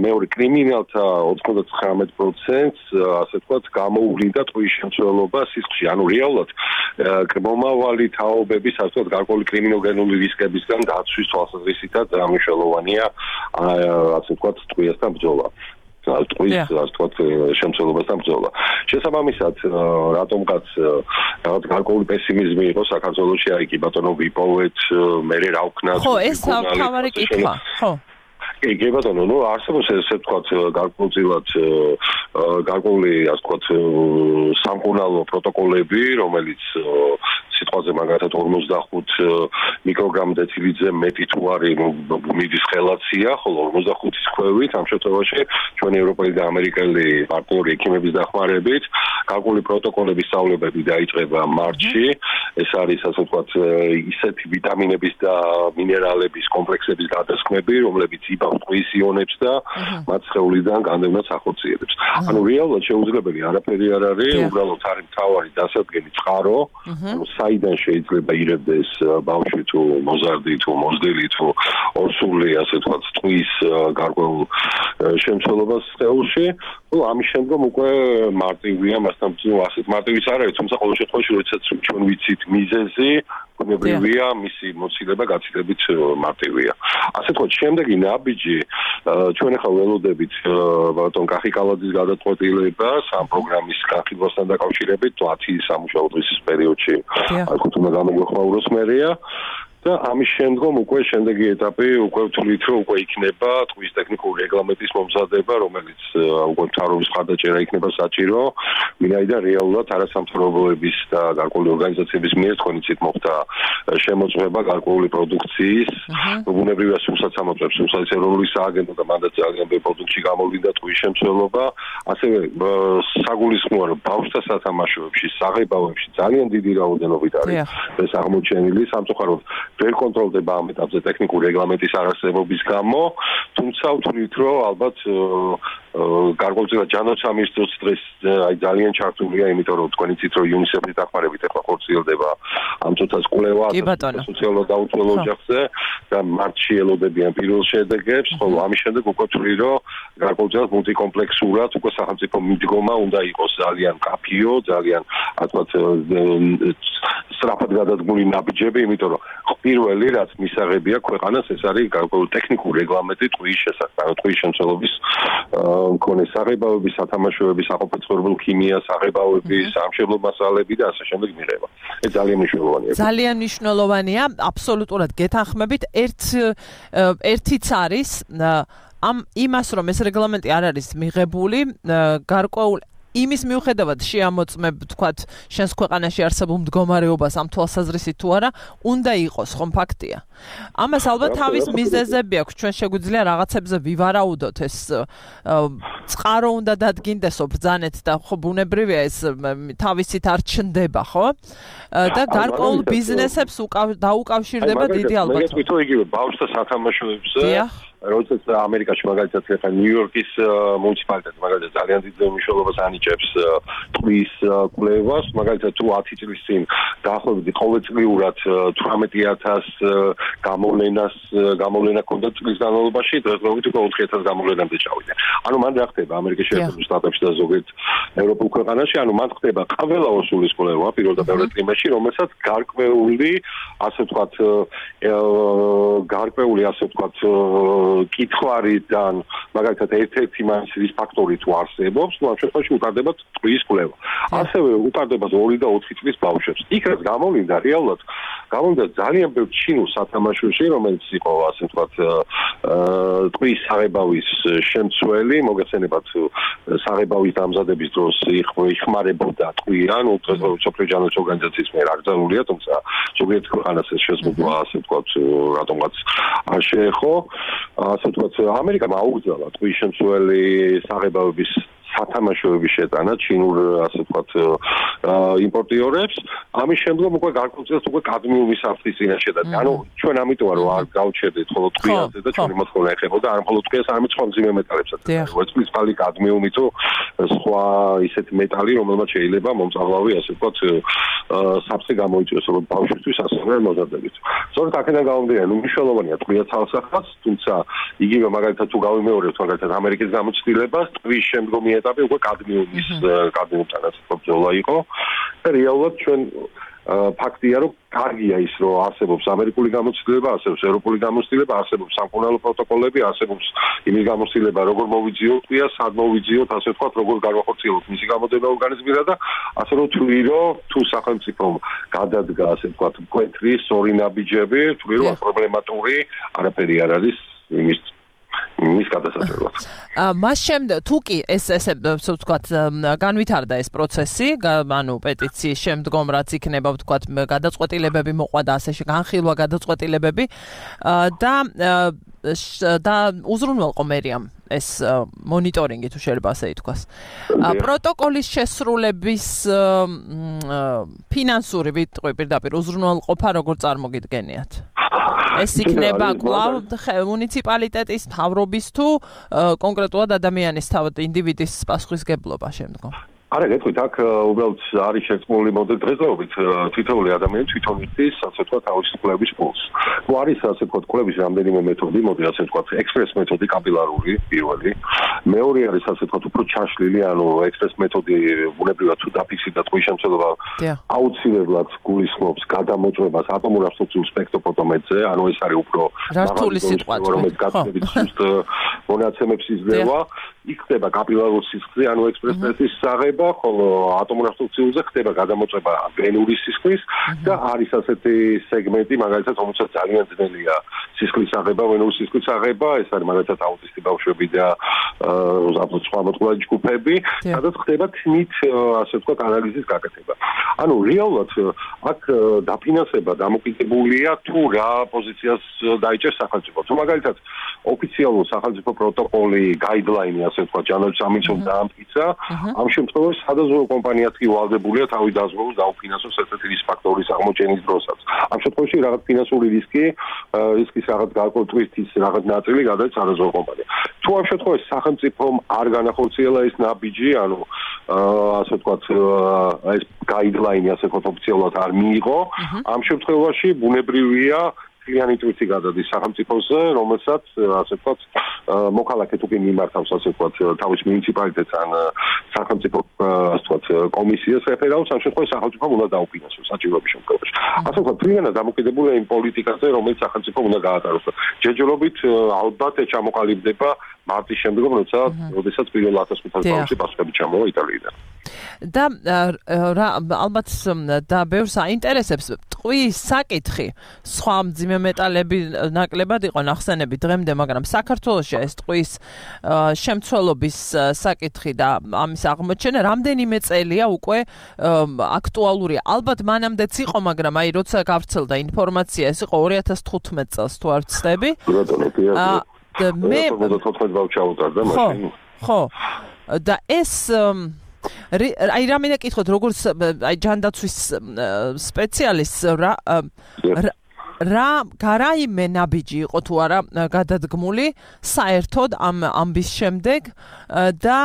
მეორე კრიმინალთა 99%-ს ასე ვთქვათ გამოუვლინდა ტყვის შემცველობა სისხლში. ანუ რეალურად მომავალი თაობების ასე ვთქვათ გარკვეული კრიმინოგენული რისკებისგან დაცვის თვალსაზრისითაც მნიშვნელოვანია ასე ვთქვათ ტყვიასთან ბრძოლა. ტყვის ასე ვთქვათ შემცველობასთან ბრძოლა. შესაბამისად, რატომღაც რაღაც გარკვეული პესიმიზმი იყო საქართველოში, აი კი ბატონო ვიპოვეთ, მე რა ვქნათ. ხო, ეს თავარი კითხვა, ხო. კი ბატონო, ნუ არსებობს ესე ვთქვათ გარკვეულწილად გარკვეული ასე ვთქვათ სამკურნალო პროტოკოლები, რომელიც სიტყვაზე მაგალითად 45 მიკროგრამ დეცილიტზე მეტი თუ არის მიდის ხელაცია, ხოლო 45-ის ქვევით ამ შემთხვევაში ჩვენი ევროპელი და ამერიკელი პარტნიორი ექიმების დახმარებით გარკვეული პროტოკოლების სწავლებები დაიწყება მარტში. ეს არის ასე ვთქვათ ისეთი ვიტამინების და მინერალების კომპლექსების გადასხმები, რომლებიც იბავს ტყვის იონებს და მათ სხეულიდან განდევნას ახორციელებს. ანუ რეალურად შეუძლებელი არაფერი არ არის, უბრალოდ არის მთავარი დასადგენი წყარო, ანუ საიდან შეიძლება ირებდეს ბავშვი თუ მოზარდი თუ მოზრდილი თუ ორსული ასე ვთქვათ ტყვის გარკვეულ შემცველობას სხეულში. ну ამის შემდგომ უკვე მარტივია მასთან ასეთ მარტივის არ არის, თუმცა ყოველ შემთხვევაში როდესაც ჩვენ ვიცით მიზეზი ბუნებრივია მისი მოცილება გაცილებით მარტივია. ასე ვთქვათ, შემდეგი ნაბიჯი ჩვენ ახლა ველოდებით ბატონ კახიკალაძის გადაწყვეტილებას ამ პროგრამის განხილვასთან დაკავშირებით 10 სამუშაო დღის პერიოდში ალბათ უნდა გამოგვეხმაუროს მერია. და ამის შემდგომ უკვე შემდეგი ეტაპი უკვე ვთვლით რომ უკვე იქნება ტყვის ტექნიკური რეგლამენტის მომზადება, რომელიც უკვე მთავრობის მხარდაჭერა იქნება საჭირო, ვინაიდან რეალურად არასამთავრობოების და გარკვეული ორგანიზაციების მიერ თქვენი ცით მოხდა შემოწმება გარკვეული პროდუქციის, ბუნებრივია სულსაც ამოწმებს სულსაის ეროვნული სააგენტო და მანდაც ძალიან ბევრი პროდუქტი გამოვლინდა ტყვის შემცველობა, ასევე საგულისხმოა რომ ბავშვთა სათამაშოებში, საღებავებში ძალიან დიდი რაოდენობით არის ეს აღმოჩენილი, სამწუხაროდ ვერ კონტროლდება ამ ეტაპზე ტექნიკური რეგლამენტის არარსებობის გამო, თუმცა ვთვლით რომ ალბათ გარკვეულწილად ჯანმრთელობის დღეს აი ძალიან ჩართულია, იმიტომ რომ თქვენი ცით რომ იუნისეფის დახმარებით ახლა ხორციელდება ამ წუთას კვლევა სოციალურ დაუცველ ოჯახზე და მარტში ელოდებიან პირველ შედეგებს, ხოლო ამის შემდეგ უკვე ვთვლით რომ გარკვეულწილად მულტიკომპლექსურად უკვე სახელმწიფო მიდგომა უნდა იყოს ძალიან კაფიო, ძალიან ასე ვთქვათ სწრაფად გადადგმული ნაბიჯები, იმიტომ რომ პირველი რაც მისაღებია ქვეყანას ეს არის გარკვეული ტექნიკური რეგლამენტი ტყვის შესახებ, ტყვის შემცველობის მქონე საღებავების, სათამაშოების, საყოფაცხოვრებელ ქიმია, საღებავების, სამშენებლო მასალები და ასე შემდეგ მიღება. ეს ძალიან მნიშვნელოვანია. ძალიან მნიშვნელოვანია, აბსოლუტურად გეთანხმებით. ერთიც არის ამ იმას რომ ეს რეგლამენტი არ არის მიღებული, გარკვეული იმის მიუხედავად შეამოწმებ თქვათ შენს ქვეყანაში არსებულ მდგომარეობას ამ თვალსაზრისით თუ არა უნდა იყოს ხომ ფაქტია. ამას ალბათ თავის მიზეზები აქვს, ჩვენ შეგვიძლია რაღაცებზე ვივარაუდოთ, ეს წყარო უნდა დადგინდესო ბრძანეთ და ხო ბუნებრივია ეს თავისით არ ჩნდება, ხო? და გარკვეულ ბიზნესებს დაუკავშირდება დიდი ალბათობით. მე თვითონ იგივე ბავშვთა სათამაშოებზე როდესაც ამერიკაში მაგალითად ხება ნიუ-იორკის მუნიციპალიტეტი მაგალითად ძალიან დიდ მნიშვნელობას ანიჭებს ტყვის კვლევას, მაგალითად თუ 10 წლის წინ დაახლოებით ყოველწლიურად 18000 გამოვლენა ჰქონდა წლის განმავლობაში, დღესდღეობით უკვე 4000 გამოვლენამდე ჩავიდა. ანუ მან რა ხდება ამერიკის შეერთებულ შტატებში და ზოგიერთ ევროპულ ქვეყანაში, ანუ მან ხდება ყველა ორსულის კვლევა პირველ და მეორე ტრიმესტრში, რომელსაც გარკვეული ასე ვთქვათ კითხვარიდან მაგალითად ერთ-ერთი მაინც ფაქტორი თუ არსებობს, ну ამ შემთხვევაში უკარდება ტყვის კვლევა. ასევე უკარდება 2 და 4 წლის ბავშვებს. იქ რაც გამოვლინდა რეალურად გამოვლინდა ძალიან ბევრ ჩინურ სათამაშოში, რომელიც იყო ასე ვთქვათ ტყვის საღებავის შემცველი, მოგეხსენებათ საღებავის დამზადების დროს იხმარებოდა ტყვი, ანუ სოფლიო ჯანმრთელობის ორგანიზაციის მიერ აკრძალულია, თუმცა ზოგიერთ ქვეყანას ეს შეზღუდვა ასე ვთქვათ რატომღაც არ შეეხო. ასე ვთქვათ, ამერიკამ აუგზავნა ტყვის შემცველი საღებავების სათამაშოების შეტანა ჩინურ ასე ვთქვათ იმპორტიორებს. ამის შემდგომ უკვე გარკვეულწილად უკვე კადმიუმის საფრთხის წინაშე და ანუ ჩვენ ამიტომ რომ არ გავჩერდით ხოლმე ტყვიაზე და ჩვენი მოთხოვნა ეხებოდა არ მხოლოდ ტყვიას, არამედ სხვა მძიმე მეტალებსაც. ვერცხლის ფალი, კადმიუმი თუ სხვა ისეთი მეტალი, რომელმაც შეიძლება მომწავლავი ასე ვთქვათ საფრთხე გამოიწვიოს როგორც ბავშვისთვის, ასევე მოზარდებით. სწორედ აქედან გამომდინარე, მნიშვნელოვანია ტყვია თავსახაც, თუმცა იგივე მაგალითად თუ გავიმეორებთ მაგალითად ამერიკის გამოცდილებას, ტყვის შემდგომი ეტაპი უკვე კადმიუმისთანაც ბრძოლა იყო და რეალურად ჩვენ ფაქტია, რომ კარგია ის, რომ არსებობს ამერიკული გამოცდილება, არსებობს ევროპული გამოცდილება, არსებობს სამკურნალო პროტოკოლები, არსებობს იმის გამოცდილება, როგორ მოვიძიოთ ტყვია, სად მოვიძიოთ, ასე ვთქვათ, როგორ განვახორციელოთ მისი გამოდება ორგანიზმირა და ასე რომ თვლი, რომ თუ სახელმწიფომ გადადგა, ასე ვთქვათ, მკვეთრი, სწორი ნაბიჯები, თვლი, რომ პრობლემატური არაფერი არ არის იმის გადასაჭრელად. მას შემდეგ თუ კი ესე ვთქვათ განვითარდა ეს პროცესი, ანუ პეტიციის შემდგომ რაც იქნება ვთქვათ გადაწყვეტილებები მოყვა და ასე განხილვა გადაწყვეტილებები და უზრუნველყო მერიამ ეს მონიტორინგი თუ შეიძლება ასე ითქვას. პროტოკოლის შესრულების ფინანსური ვიტყვი პირდაპირ უზრუნველყოფა როგორ წარმოგიდგენიათ? ეს იქნება კვლავ მუნიციპალიტეტის მთავრობის თუ კონკრეტულად ადამიანის თავად ინდივიდის პასუხისგებლობა შემდგომ? არა, გეტყვით, აქ უბრალოდ არის შეწყმული მოდელდღეობით თითოეული ადამიანი თვითონ იცის, ასე ვთქვათ, თავისი კვლევის ფულს. თუ არის, ასე ვთქვათ, კვლევის რამდენიმე მეთოდი, მოდი ასე ვთქვათ, ექსპრეს მეთოდი, კაპილარული, პირველი. მეორე არის, ასე ვთქვათ, უფრო ჩაშლილი, ანუ ექსპრეს მეთოდი ბუნებრივად თუ დაფიქსირდა ტყვის შემცველობა, აუცილებლად გულისხმობს გადამოწმებას ატომურ აბსტრუქციულ სპექტროფოტომეტრზე, ანუ ეს არის უფრო რთული სიტყვა, რომელიც გაცნობით სუსტ მონაცემებს იძლევა. იქ ხდება კაპილარული სისხლი, ანუ ექსპრესის აღება, ხოლო ატომურ აბსტრუქციულზე ხდება გადამოწმება გენური სისხლის და არის ასეთი სეგმენტი, მაგალითად, რომელსაც ძალიან ძნელია სისხლის აღება, ვენური სისხლის აღება, ეს არის მაგალითად აუტისტი ბავშვები და სხვა მოწყვლადი ჯგუფები, სადაც ხდება თნით, ასე ვთქვათ, ანალიზის გაკეთება. ანუ რეალურად აქ დაფინანსება დამოკიდებულია თუ რა პოზიციას დაიჭერს სახელმწიფო. თუ მაგალითად ოფიციალურ სახელმწიფო პროტოკოლი, გაიდლაინი, ასე ვთქვათ, ჯანოების სამინისტრომ დაამტკიცა, ამ შემთხვევაში სადაზღვევო კომპანიაც კი ვალდებულია თავი დაზღვევოს დაუფინანსოს ერთ-ერთი რის ფაქტორის აღმოჩენის დროსაც. ამ შემთხვევაში რაღაც ფინანსური რისკის რაღაც გაკვეთვის რაღაც ნაწილი გადადის სადაზღვევო კომპანია. თუ ამ შემთხვევაში სახელმწიფომ არ განახორციელა ეს ნაბიჯი, ანუ ასე ვთქვათ, ეს გაიდლაინი, ასე ვთქვათ, ოფიციალურად არ მიიღო, ამ შემთხვევაში ბუნებრივია კლიანი ტვირთი გადადის სახელმწიფოზე, რომელსაც ასე ვთქვათ, მოქალაქე თუ კი მიმართავს, ასე ვთქვათ, თავის მუნიციპალიტეტს ან სახელმწიფო ასე ვთქვათ, კომისიას რეფერალს, ამ შემთხვევაში სახელმწიფომ უნდა დაუფინანსოს საჭიროების შემთხვევაში. ასე ვთქვათ, ფრინველად დამოკიდებულია იმ პოლიტიკაზე, რომელიც სახელმწიფომ უნდა გაატაროს. ჯერჯერობით ალბათ ჩამოყალიბდება მარტის შემდგომ, როდესაც პირველ 1500 ბავშვი პასუხები ჩამოვა იტალიიდან. და ალბათ და ბევრს აინტერესებს ტყვის საკითხი. სხვა მძიმე მეტალები ნაკლებად იყო ნახსენები დღემდე, მაგრამ საქართველოში ეს ტყვის შემცველობის საკითხი და ამის აღმოჩენა რამდენიმე წელია უკვე აქტუალურია. ალბათ მანამდეც იყო, მაგრამ აი როცა გავრცელდა ინფორმაცია, ეს იყო 2015 წელს თუ არ ვცდები. მე 14 ბავშვი ავუტარდა მაშინ. ხო. და ეს აი რამე კითხოთ, როგორც აი ჯანდაცვის სპეციალისტს რა გარაიმე ნაბიჯი იყო თუ არა გადადგმული საერთოდ ამ ამბის შემდეგ და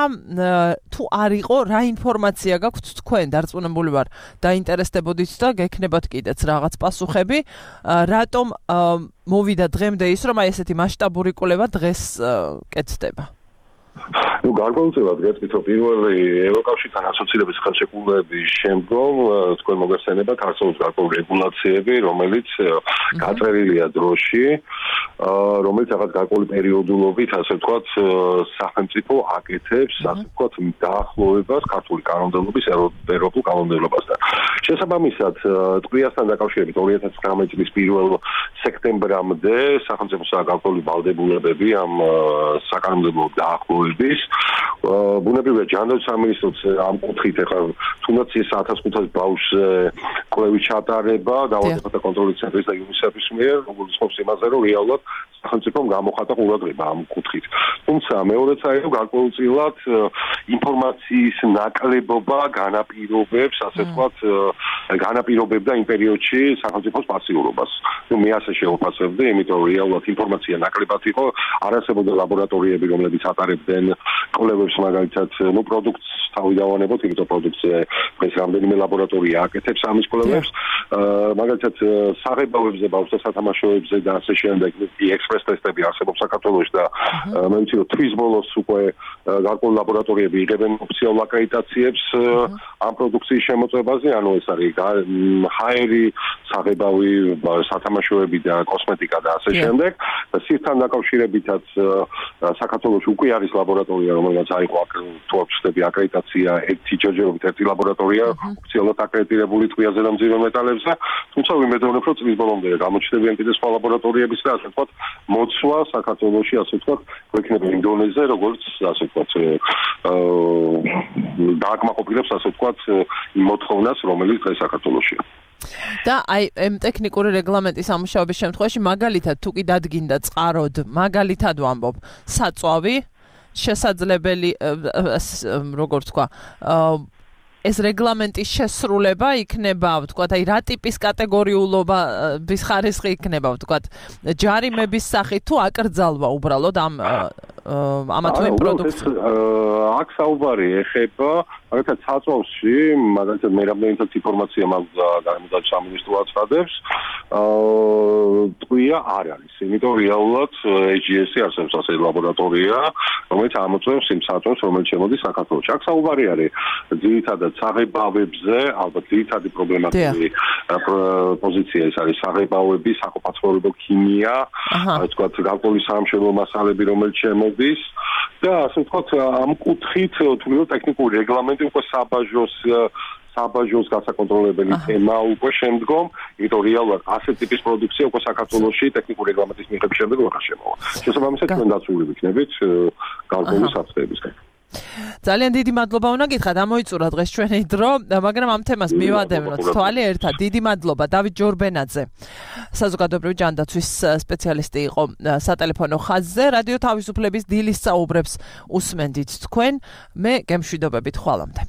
თუ არ იყო რა ინფორმაცია გაქვთ თქვენ დარწმუნებული ვარ დაინტერესდებოდით და გექნებათ კიდეც რაღაც პასუხები რატომ მოვიდა დღემდე ის რომ აი ესეთი მასშტაბური კვლევა დღეს კეთდება ну გარკვეულწილად გეტყვით რომ პირველი ევროკავშირთან ასოცირების ხელშეკრულების შემდგომ თქვენ მოგეხსენებათ არსებობს გარკვეული რეგულაციები რომელიც გაწერილია დროში რომელიც რაღაც გარკვეული პერიოდულობით ასე ვთქვათ სახელმწიფო აკეთებს ასე ვთქვათ დაახლოებას ქართული კანონმდებლობის ევროპულ კანონმდებლობასთან შესაბამისად ტყვიასთან დაკავშირებით 2019 წლის 1 სექტემბრამდე სახელმწიფოსაა გარკვეული ვალდებულებები ამ საკანონმდებლო დაახლოების ბუნებრივია ჯანდაცვის სამინისტროც ამ კუთხით ახლა თუნდაც ის 1500 ბავშვზე კვლევის ჩატარება დაავადებათა კონტროლის ცენტრის და UNICEF-ის მიერ როგორც ხობს იმაზე რომ რეალურად სახელმწიფომ გამოხატა ყურადღება ამ კუთხით თუმცა მეორეც არის რომ გარკვეულწილად ინფორმაციის ნაკლებობა განაპირობებს ასე ვთქვათ განაპირობებდა იმ პერიოდში სახელმწიფოს პასიურობას ну მე ასე შევფასებდი იმიტომ რომ რეალურად ინფორმაცია ნაკლებად იყო არ არსებობდა ლაბორატორიები რომლებიც ატარებდნენ კვლევებს მაგალითად ну პროდუქტს თავი დავანებოთ იმიტომ პროდუქტზე ეს რამდენიმე ლაბორატორია აკეთებს ამის კვლევებს მაგალითად საღებავებზე ბავშვთა სათამაშოებზე და ასე შემდეგ ექსპრეს ეს ტესტები არსებობს საქართველოში და მე ვიცი რომ თვის ბოლოს უკვე გარკვეული ლაბორატორიები იღებენ ოფიციალურ აკრედიტაციებს ამ პროდუქციის შემოწმებაზე, ანუ ეს არის ჰაერი, საღებავი, სათამაშოები და კოსმეტიკა და ასე შემდეგ. სირთან დაკავშირებითაც საქართველოში უკვე არის ლაბორატორია, რომელსაც აიღო თუ აქვს ხდები აკრედიტაცია ჯერჯერობით ერთი ლაბორატორია ოფიციალურად აკრედიტირებული ტყვიაზე და მძიმე მეტალებზე, თუმცა ვიმედოვნებ, რომ წლის ბოლომდე გამოჩნდებიან კიდევ სხვა ლაბორატორიების და ასე ვთქვათ, მოცვა საქართველოში, ასე ვთქვათ, გვექნება ინდონეზია, როგორც ასე ვთქვათ, დააკმაყოფილებს, ასე ვთქვათ, იმ მოთხოვნას, რომელიც დღეს საქართველოშია. და აი ამ ტექნიკური რეგლამენტის ამუშავების შემთხვევაში მაგალითად თუ კი დადგინდა წყაროდ, მაგალითად ვამბობ, საწვავი შესაძლებელი როგორ თქვა ეს რეგლამენტის შესრულება იქნება, ვთქვათ, აი რა ტიპის კატეგორიულობის ხარისხი იქნება, ვთქვათ, ჯარიმების სახით თუ აკრძალვა უბრალოდ ამა თუ იმ პროდუქციას. აქ საუბარი ეხება, მაგალითად, საწვავში, მაგალითად, მე რამდენიც ინფორმაცია მაქვს გარემოდაცვის სამინისტრო აცხადებს, ტყვია არ არის. იმიტომ რეალურად AGS-ი არსებობს ასე ლაბორატორია, რომელიც ამოწევს იმ საწვავს, რომელიც შემოდის საქართველოში. აქ საუბარი არის ძირითადად საღებავებზე, ალბათ ძირითადი პრობლემატური პოზიცია ეს არის საღებავები, საყოფაცხოვრებო ქიმია, ასე ვთქვათ, გარკვეული სამშენებლო მასალები, რომელიც შემოდის და ასე ვთქვათ, ამ კუთხით თუნდაც ტექნიკური რეგლამენტი უკვე საბაჟოს გასაკონტროლებელი თემა უკვე შემდგომ, იმიტომ რეალურად ასეთ ტიპის პროდუქცია უკვე საქართველოში ტექნიკური რეგლამენტის მიღების შემდეგ ვერ შემოვა. შესაბამისად, ჩვენ დაცული ვიქნებით გარკვეული საფრთხეებისგან. ძალიან დიდი მადლობა უნდა გითხრათ, ამოიწურა დღეს ჩვენი დრო, მაგრამ ამ თემას მივადევნოთ თვალი ერთად. დიდი მადლობა დავით ჯორბენაძე, საზოგადოებრივი ჯანდაცვის სპეციალისტი იყო სატელეფონო ხაზზე. რადიო თავისუფლების დილის საუბრებს უსმენდით თქვენ. მე გემშვიდობებით, ხვალამდე.